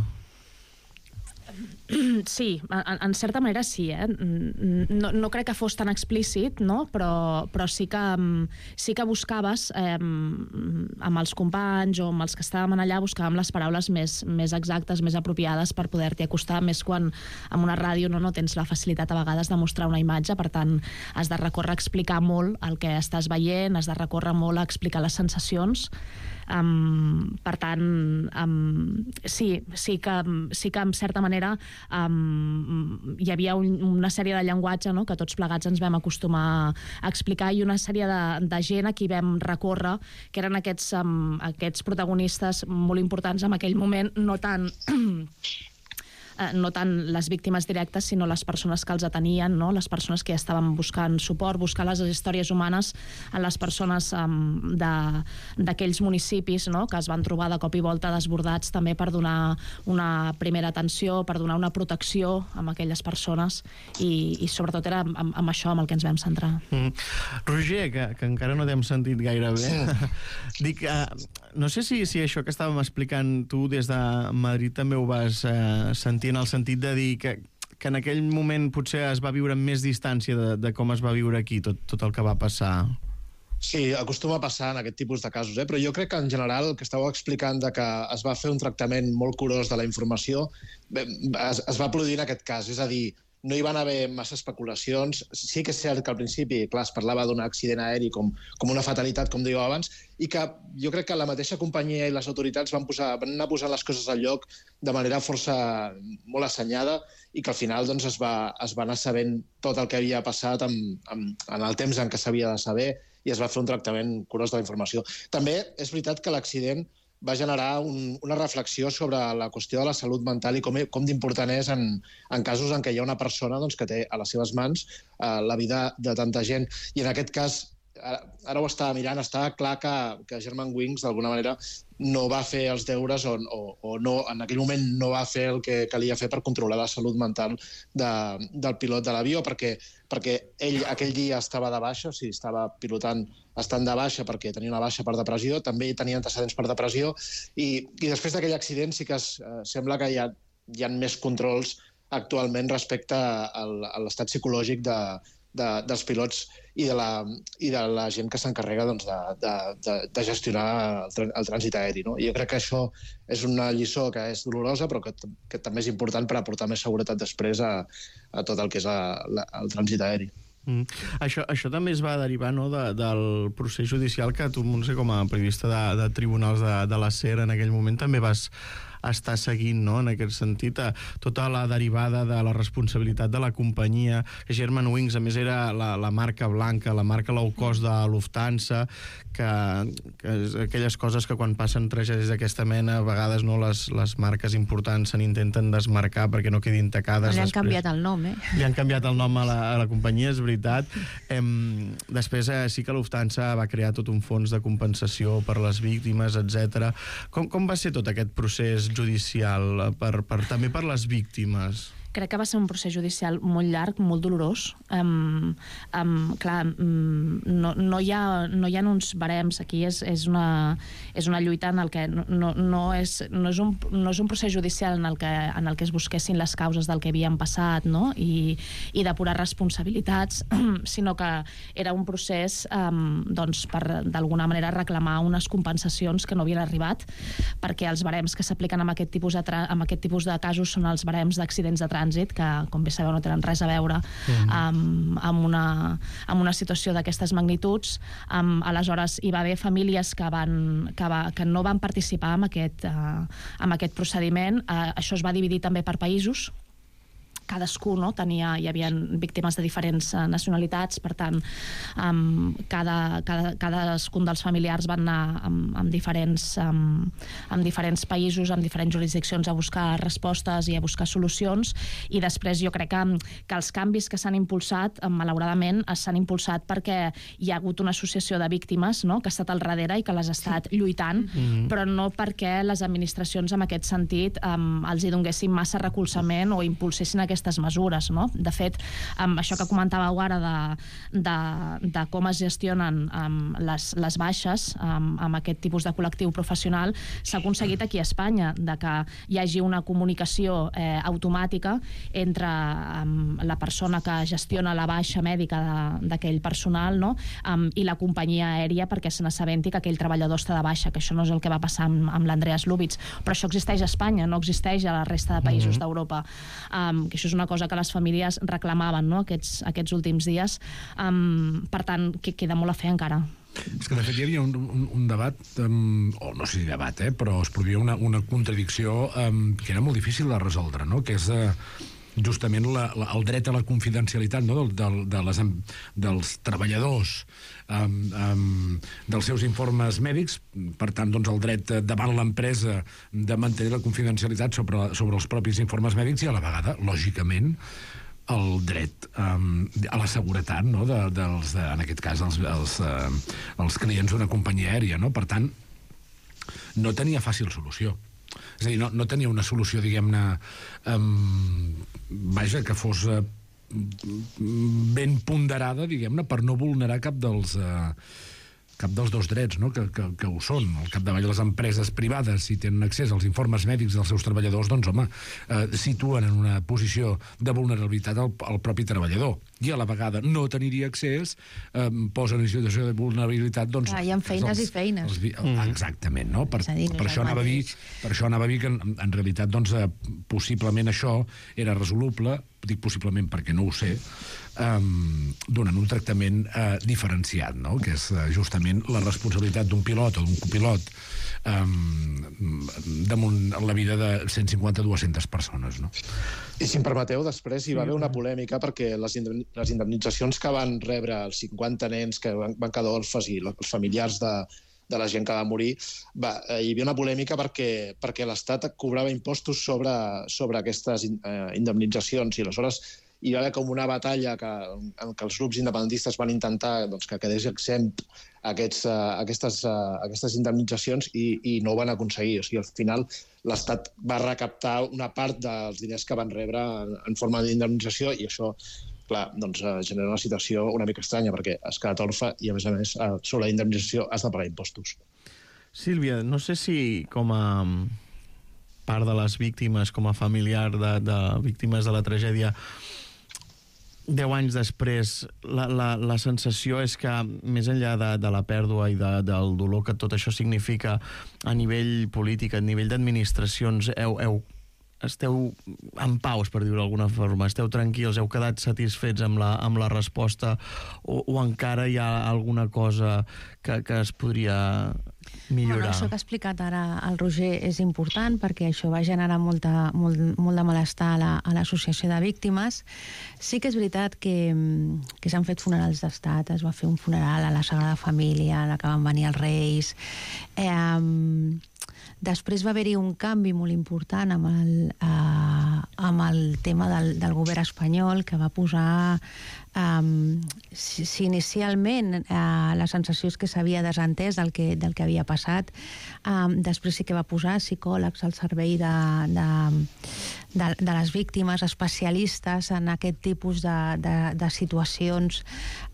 Sí, en certa manera sí, no crec que fos tan explícit, no? Però sí que buscaves amb els companys o amb els que estàvem allà, buscàvem les paraules més exactes, més apropiades per poder-t'hi acostar, més quan en una ràdio no tens la facilitat a vegades de mostrar una imatge, per tant has de recórrer a explicar molt el que estàs veient, has de recórrer molt a explicar les sensacions. Per tant, sí que en certa manera hi havia una sèrie de llenguatge, no?, que tots plegats ens vam acostumar a explicar, i una sèrie de gent a qui vam recórrer, que eren aquests protagonistes molt importants en aquell moment, no tant les víctimes directes, sinó les persones que els atenien, no? Les persones que estaven buscant suport, buscar les històries humanes en les persones d'aquells municipis, no?, que es van trobar de cop i volta desbordats, també per donar una primera atenció, per donar una protecció a aquelles persones, i sobretot era amb això amb el que ens vam centrar.
Roger, que encara no t'hem sentit gaire bé, dic, no sé si això que estàvem explicant tu des de Madrid també ho vas sentir, en el sentit de dir que en aquell moment potser es va viure amb més distància de com es va viure aquí tot el que va passar.
Sí, acostuma a passar en aquest tipus de casos, però jo crec que en general el que estàveu explicant de que es va fer un tractament molt curós de la informació es va produir en aquest cas, és a dir, no hi van haver massa especulacions. Sí que és cert que al principi, clar, es parlava d'un accident aeri com una fatalitat, com dèieu abans, i que jo crec que la mateixa companyia i les autoritats van anar posant les coses al lloc de manera força molt assenyada, i que al final doncs, es va anar sabent tot el que havia passat en el temps en què s'havia de saber, i es va fer un tractament curós de la informació. També és veritat que l'accident va generar una reflexió sobre la qüestió de la salut mental i com d'important és en casos en què hi ha una persona que té a les seves mans la vida de tanta gent. I en aquest cas, ara ho estava mirant, estava clar que Germanwings d'alguna manera no va fer els deures o no, en aquell moment no va fer el que calia fer per controlar la salut mental del pilot de l'avió, perquè ell aquell dia estava de baixa, o sigui, estava pilotant estant de baixa perquè tenia una baixa per depressió, també tenia antecedents per depressió, i després d'aquell accident sí que sembla que hi ha més controls actualment respecte a l'estat psicològic dels pilots i de la gent que s'encarrega de gestionar el trànsit aeri. No? Jo crec que això és una lliçó que és dolorosa, però que també és important per aportar més seguretat després a tot el que és el trànsit aeri.
Això també es va derivar, no, del procés judicial que tu, Montse, com a periodista de tribunals de la SER en aquell moment també vas estar seguint, no?, en aquest sentit, tota la derivada de la responsabilitat de la companyia, que Germanwings, a més, era la marca blanca, la marca low cost de Lufthansa, que aquelles coses que quan passen tragèdies d'aquesta mena, a vegades no les marques importants se n'intenten desmarcar perquè no quedin tacades.
Li han canviat el nom,
Li han canviat el nom a la companyia, és veritat. Després sí que Lufthansa va crear tot un fons de compensació per les víctimes, etc. Com va ser tot aquest procés judicial també per les víctimes?
Crec que va ser un procés judicial molt llarg, molt dolorós. Clar, no hi ha uns barems. Aquí és una lluita en el que no és un procés judicial en el que es busquessin les causes del que havien passat, no? I depurar responsabilitats, sinó que era un procés per d'alguna manera reclamar unes compensacions que no havien arribat, perquè els barems que s'apliquen amb aquest tipus de casos són els barems d'accidents de trànsit, que, com bé sabeu, no tenen res a veure amb una situació d'aquestes magnituds. Aleshores, hi va haver famílies que no van participar en aquest procediment. Això es va dividir també per països. Cadascú, no? Hi havia víctimes de diferents nacionalitats, per tant, cadascun dels familiars van anar en diferents països, en diferents jurisdiccions a buscar respostes i a buscar solucions, i després jo crec que els canvis que s'han impulsat, malauradament, s'han impulsat perquè hi ha hagut una associació de víctimes, no?, que ha estat al darrere i que les ha estat lluitant, però no perquè les administracions en aquest sentit els hi donguessin massa recolzament o impulsessin aquestes mesures, no? De fet, això que comentàveu ara de com es gestionen les baixes amb aquest tipus de col·lectiu professional, s'ha aconseguit aquí a Espanya, de que hi hagi una comunicació automàtica entre la persona que gestiona la baixa mèdica d'aquell personal, no?, i la companyia aèria, perquè se n'assabenti que aquell treballador està de baixa, que això no és el que va passar amb l'Andreas Lubitz, però això existeix a Espanya, no existeix a la resta de països d'Europa, que això és una cosa que les famílies reclamaven, no?, aquests últims dies. Per tant, queda molt a fer encara.
És que, de fet, hi havia un debat, o no sé si debat, però es produïa una contradicció que era molt difícil de resoldre, no? Que és justament el dret a la confidencialitat, no? dels treballadors dels seus informes mèdics, per tant, doncs, el dret davant l'empresa de mantenir la confidencialitat sobre els propis informes mèdics i, a la vegada, lògicament, el dret a la seguretat, no? En aquest cas, els clients d'una companyia aèria, no? Per tant, no tenia fàcil solució. És a dir, no tenia una solució, diguem-ne, vaja, que fos ben ponderada, diguem-ne, per no vulnerar cap dels dos drets, no? que ho són. Al capdavall, les empreses privades, si tenen accés als informes mèdics dels seus treballadors, doncs, home, situen en una posició de vulnerabilitat al propi treballador. I a la vegada no tenir-hi accés posa en situació de vulnerabilitat... Doncs,
hi ha feines i feines.
Exactament, no? Per això anava a dir que, en realitat, doncs, possiblement això era resoluble, dic possiblement perquè no ho sé, donant un tractament diferenciat, no? Que és justament la responsabilitat d'un pilot o d'un copilot damunt la vida de 150-200 persones, no?
I si em permeteu, després hi va haver una polèmica perquè les indemnitzacions que van rebre els 50 nens que van quedar orfes i els familiars de la gent que va morir, hi havia una polèmica perquè l'Estat cobrava impostos sobre aquestes indemnitzacions i aleshores hi va haver com una batalla en què els grups independentistes van intentar que quedés exempt aquestes indemnitzacions i no ho van aconseguir. O sigui, al final l'Estat va recaptar una part dels diners que van rebre en forma d'indemnització i això, clar, doncs genera una situació una mica estranya perquè has quedat orfe i, a més, sobre la indemnització has de pagar impostos.
Sílvia, no sé si com a part de les víctimes, com a familiar de víctimes de la tragèdia, 10 anys després, la sensació és que, més enllà de la pèrdua i del dolor que tot això significa a nivell polític, a nivell d'administracions, esteu en paus, per dir-ho d'alguna forma, esteu tranquils, heu quedat satisfets amb la resposta o encara hi ha alguna cosa que es podria millorar?
Bueno, això que ha explicat ara el Roger és important perquè això va generar molt de malestar a l'associació de víctimes. Sí que és veritat que s'han fet funerals d'estat, es va fer un funeral a la Sagrada Família, a la que van venir els Reis. Després va haver-hi un canvi molt important amb el tema del govern espanyol, que va posar... Si inicialment la sensació és que s'havia desentès del que havia passat, després sí que va posar psicòlegs al servei de les víctimes, especialistes en aquest tipus de situacions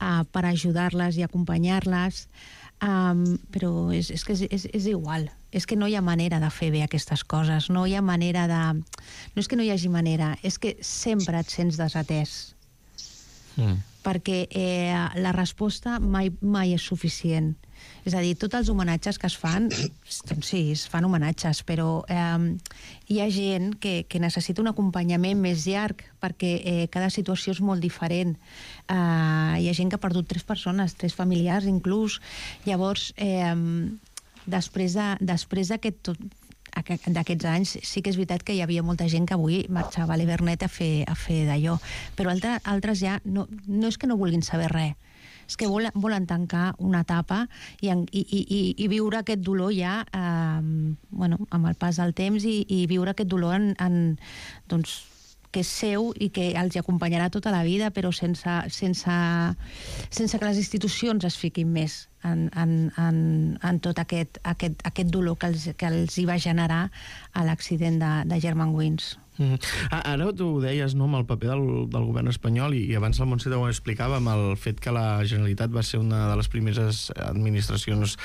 per ajudar-les i acompanyar-les. Però és que és igual, és que no hi ha manera de fer bé aquestes coses, no hi ha manera de... No és que no hi hagi manera, és que sempre et sents desatès. Perquè la resposta mai és suficient. És a dir, tots els homenatges que es fan, doncs sí, es fan homenatges, però hi ha gent que necessita un acompanyament més llarg perquè cada situació és molt diferent. Hi ha gent que ha perdut 3 persones, 3 familiars inclús. Llavors, després d'aquests anys sí que és veritat que hi havia molta gent que avui marxava a l'Evernet a fer d'allò, però altres ja no és que no vulguin saber res, és que volen tancar una etapa i viure aquest dolor ja amb el pas del temps i viure aquest dolor doncs, que és seu i que els acompanyarà tota la vida, però sense que les institucions es fiquin més en tot aquest dolor que els hi va generar a l'accident de Germanwings.
Ara tu ho deies, no?, amb el paper del govern espanyol, i abans el Montse ho explicava amb el fet que la Generalitat va ser una de les primeres administracions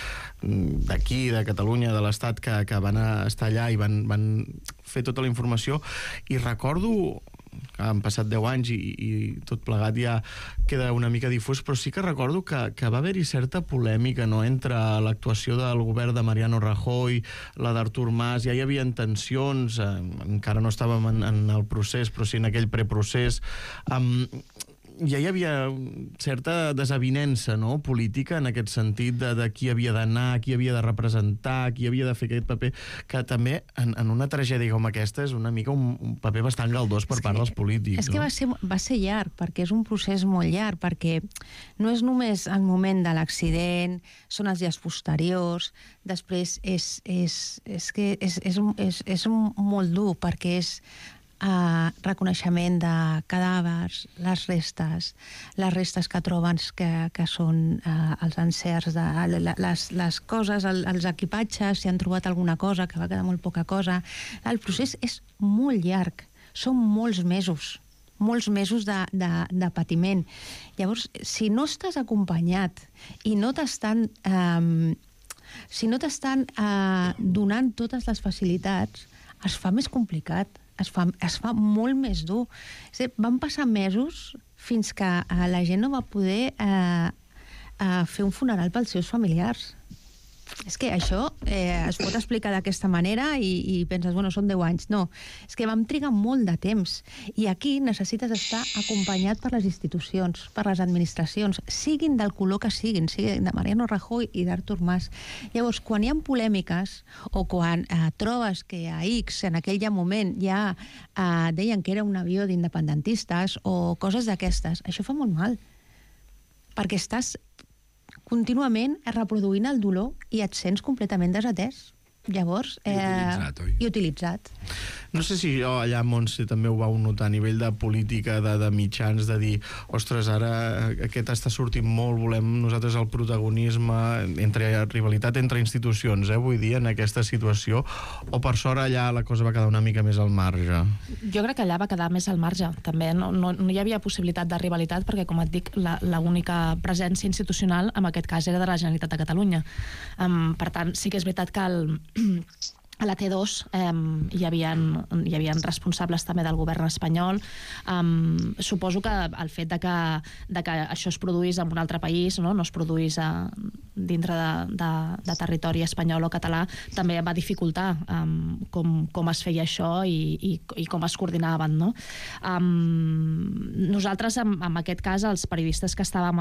d'aquí, de Catalunya, de l'Estat, que van estar allà i van fer tota la informació, i recordo que han passat 10 anys i tot plegat ja queda una mica difús, però sí que recordo que va haver-hi certa polèmica, no?, entre l'actuació del govern de Mariano Rajoy, la d'Artur Mas, ja hi havia tensions, encara no estàvem en el procés, però sí en aquell preprocés. ja hi havia certa desavinença, no?, política en aquest sentit de qui havia d'anar, qui havia de representar, qui havia de fer aquest paper, que també en una tragèdia com aquesta és una mica un paper bastant galdós per part dels polítics.
És que va ser llarg, perquè és un procés molt llarg, perquè no és només el moment de l'accident, són els dies posteriors, després és molt dur, perquè és reconeixement de cadàvers, les restes que troben que són els encerts, les coses, els equipatges, si han trobat alguna cosa, que va quedar molt poca cosa. El procés és molt llarg, són molts mesos de patiment. Llavors, si no estàs acompanyat i no t'estan donant totes les facilitats, es fa més complicat, es fa molt més dur. Van passar mesos fins que la gent no va poder fer un funeral pels seus familiars. És que això es pot explicar d'aquesta manera i penses, bueno, són 10 anys. No, és que vam trigar molt de temps. I aquí necessites estar acompanyat per les institucions, per les administracions, siguin del color que siguin de Mariano Rajoy i d'Artur Mas. Llavors, quan hi ha polèmiques o quan trobes que a X en aquell moment ja deien que era un avió d'independentistes o coses d'aquestes, això fa molt mal. Perquè estàs contínuament reproduint el dolor i et sents completament desatès. Llavors... I utilitzat.
No sé si allà, Montse, també ho vau notar a nivell de política, de mitjans, de dir, ostres, ara aquest està sortint molt, volem nosaltres el protagonisme, rivalitat entre institucions, vull dir, en aquesta situació, o per sort allà la cosa va quedar una mica més al marge?
Jo crec que allà va quedar més al marge, també. No hi havia possibilitat de rivalitat, perquè, com et dic, l'única presència institucional, en aquest cas, era de la Generalitat de Catalunya. Per tant, sí que és veritat que a la T2 hi havia responsables també del govern espanyol. Suposo que el fet de que això es produís en un altre país, no es produís dintre de territori espanyol o català, també va dificultar com es feia això i com es coordinaven. Nosaltres, en aquest cas, els periodistes que estàvem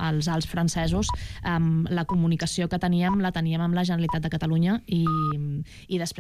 als Alps francesos, la comunicació que teníem la teníem amb la Generalitat de Catalunya i després